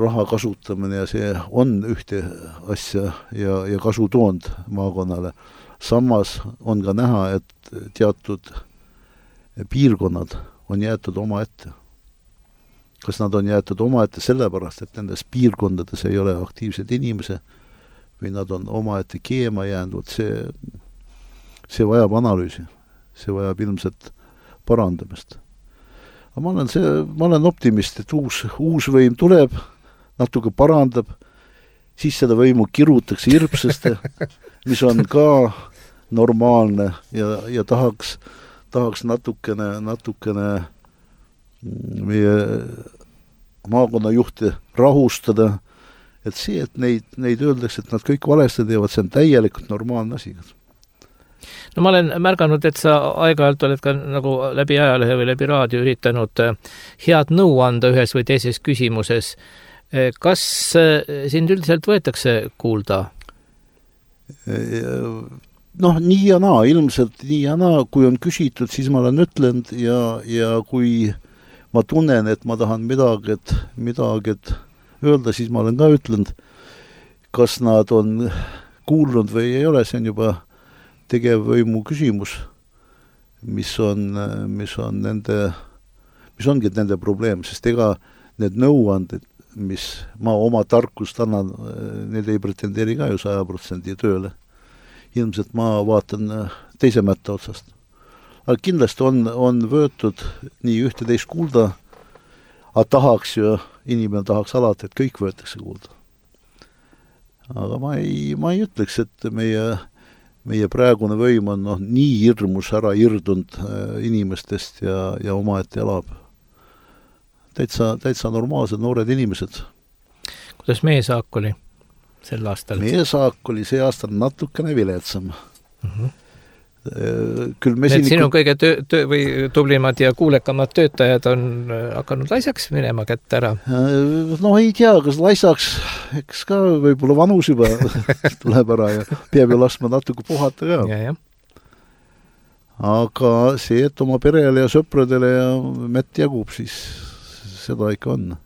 raha kasutamine ja see on ühte asja ja kasu toonud maakonnale. Samas on ka näha, et teatud piirkonnad on jäetud oma ette. kas nad on jäetud omaette sellepärast, et nendes piirkondades ei ole aktiivsed inimese või nad on omaette keema jäänud, see vajab analüüsi, see vajab ilmselt parandamist. Aga ma olen optimist, et uus võim tuleb, natuke parandab, siis seda võimu kirutakse hirpsasti, mis on ka normaalne ja tahaks natukene meie maakonnajuhti rahustada, et see, et neid öeldakse, et nad kõik valesti teevad, see on täielikult normaalne asi. No ma olen märganud, et sa aeg-ajalt oled ka nagu läbi ajalehe või läbi raadio üritanud head nõu anda ühes või teises küsimuses. Kas sind üldiselt võetakse kuulda? Nii ja naa, ilmselt nii ja naa, kui on küsitud, siis ma olen ütlenud ja kui ma tunnen, et ma tahan midagi öelda, siis ma olen ka ütlenud, kas nad on kuulnud või ei ole, see on juba tegevvõimu küsimus, mis ongi nende probleem, sest ega need nõuanded, mis ma oma tarkust annan, need ei pretendeeri ka ju 100% tööle. Ilmselt ma vaatan teise mätta otsast. Aga kindlasti on võetud nii ühte teist kuulda, aga inimene tahaks alati, et kõik võetakse kuulda. Aga ma ei ütleks, et meie praegune võim on nii hirmus ära irdunud inimestest ja omaette elab. Täitsa normaalsed noored inimesed. Kuidas meie saak oli sel aastal? Meie saak oli see aastal natukene viletsam. Need sinu kõige või tublimad ja kuulekamad töötajad on hakanud laisaks minema kätte ära? Ei tea, kas laisaks, eks ka võib-olla vanus juba tuleb ära ja peab ju laskma natuke puhata ka. Ja. Aga see, et oma perele ja sõpradele ja mätt jagub, siis seda ikka on.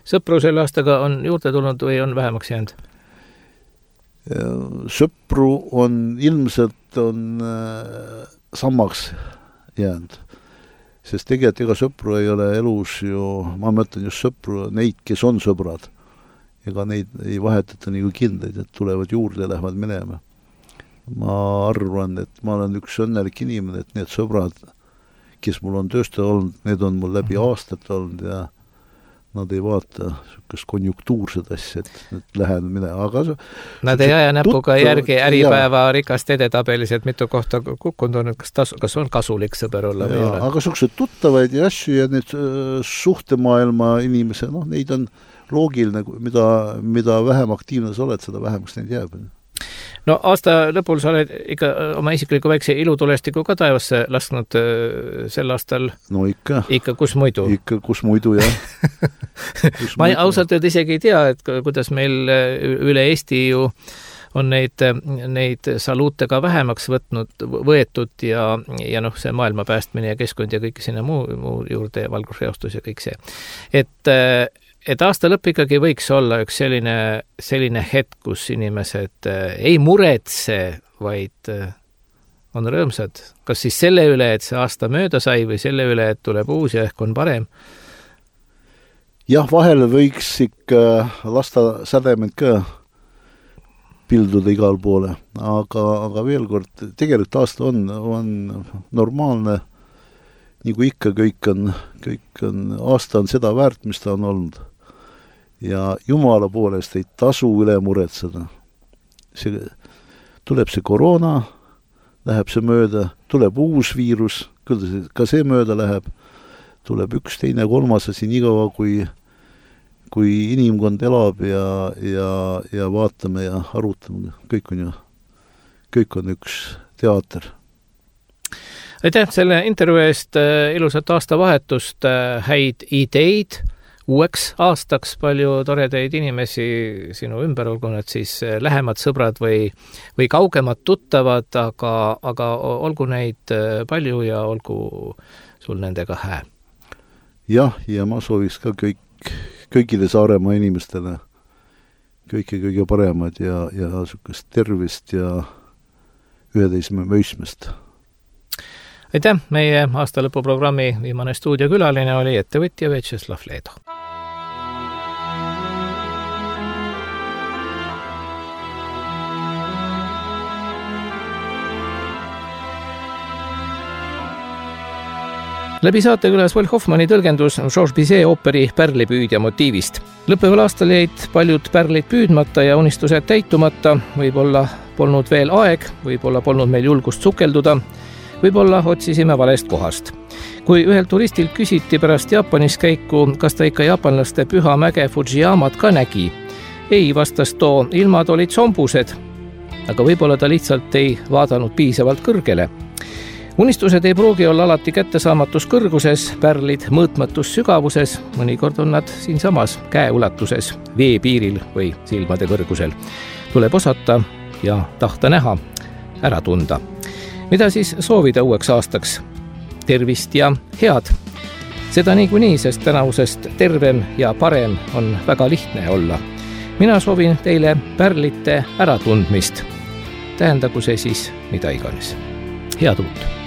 Sõpru selle aastaga on juurde tulnud või on vähemaks jäänud? Sõpru on ilmselt sammaks jäänud, sest tegelikult ega sõpru ei ole elus ju, ma mõtlen just sõpru, neid, kes on sõbrad, ega neid ei vahetata nagu kindaid, et tulevad juurde ja lähevad minema. Ma arvan, et ma olen üks õnnelik inimene, et need sõbrad, kes mul on tööstöö olnud, need on mul läbi aastat olnud ja nad ei vaata sükast konjunktuurset asja, et lähen minema. Nad ei aja näpuga järgi Äripäeva rikast edetabelis, et mitu kohta kukkunud on, kas on kasulik sõber olla või ole? Aga sükased tuttavaid ja asju ja need suhtemaailma inimese, neid on loogiline, mida vähem aktiivne sa oled, seda vähemaks neid jääb. No aasta lõpul sa oled ikka oma isikliku väikse ilutulestiku ka taevasse lasknud sel aastal. No ikka. Ikka kus muidu? Ikka kus muidu, jah. Ma ausalt öelda isegi ei tea, et kuidas meil üle Eesti ju on neid saluute ka vähemaks võetud ja see maailma päästmine ja keskkond ja kõik sinna muu juurde, valgusreostus ja kõik see. Et aasta lõpp ikkagi võiks olla üks selline hetk, kus inimesed ei muretse, vaid on rõõmsad. Kas siis selle üle, et see aasta mööda sai või selle üle, et tuleb uus ja ehk on parem? Jah, vahel võiks ikka lasta sädemed ka pilduda igal poole, aga veel kord, tegelikult aasta on normaalne, nagu ikka kõik on, aasta on seda väärt, mis ta on olnud. Ja Jumala poolest ei tasu üle muretseda. Tuleb see koroona, läheb see mööda, tuleb uus viirus, ka see mööda läheb, tuleb üks, teine, kolmas asi nii kaua, kui inimkond elab ja vaatame ja arutame, kõik on üks teater. Aitäh selle intervjuu eest, ilusat aastavahetust, häid ideid, uueks aastaks palju toredaid inimesi sinu ümber, olgu nad siis lähemad sõbrad või kaugemad tuttavad, aga olgu neid palju ja olgu sul nendega hää. Jah, ja ma sooviks ka kõikide Saaremaa inimestele kõige paremad ja sukast tervist ja 11 mõistmist. Aitäh, meie aastalõpuprogrammi viimane stuudiokülaline oli ettevõtja Vjatšeslav Leedo. Läbi saate külas Will Hoffmanni tõlgendus Georges Bizet ooperi Pärlipüüdja motiivist. Lõppeval aastal jäid paljud pärlid püüdmata ja unistused täitumata, võib-olla polnud veel aeg, võib-olla polnud meil julgust sukelduda, võib-olla otsisime valest kohast. Kui ühelt turistilt küsiti pärast Jaapanis käiku, kas ta ikka jaapanlaste püha mäge Fujiyamat ka nägi, ei, vastas too, ilmad olid sombused, aga võib-olla ta lihtsalt ei vaadanud piisavalt kõrgele. Unistused ei pruugi olla alati kättesaamatus kõrguses, pärlid mõõtmatus sügavuses, mõnikord on nad siinsamas käeulatuses, veepiiril või silmade kõrgusel. Tuleb osata ja tahta näha, ära tunda. Mida siis soovida uueks aastaks? Tervist ja head! Seda niikuinii, sest tänavusest tervem ja parem on väga lihtne olla. Mina soovin teile pärlite äratundmist. Tähendagu see siis mida iganes. Head uut!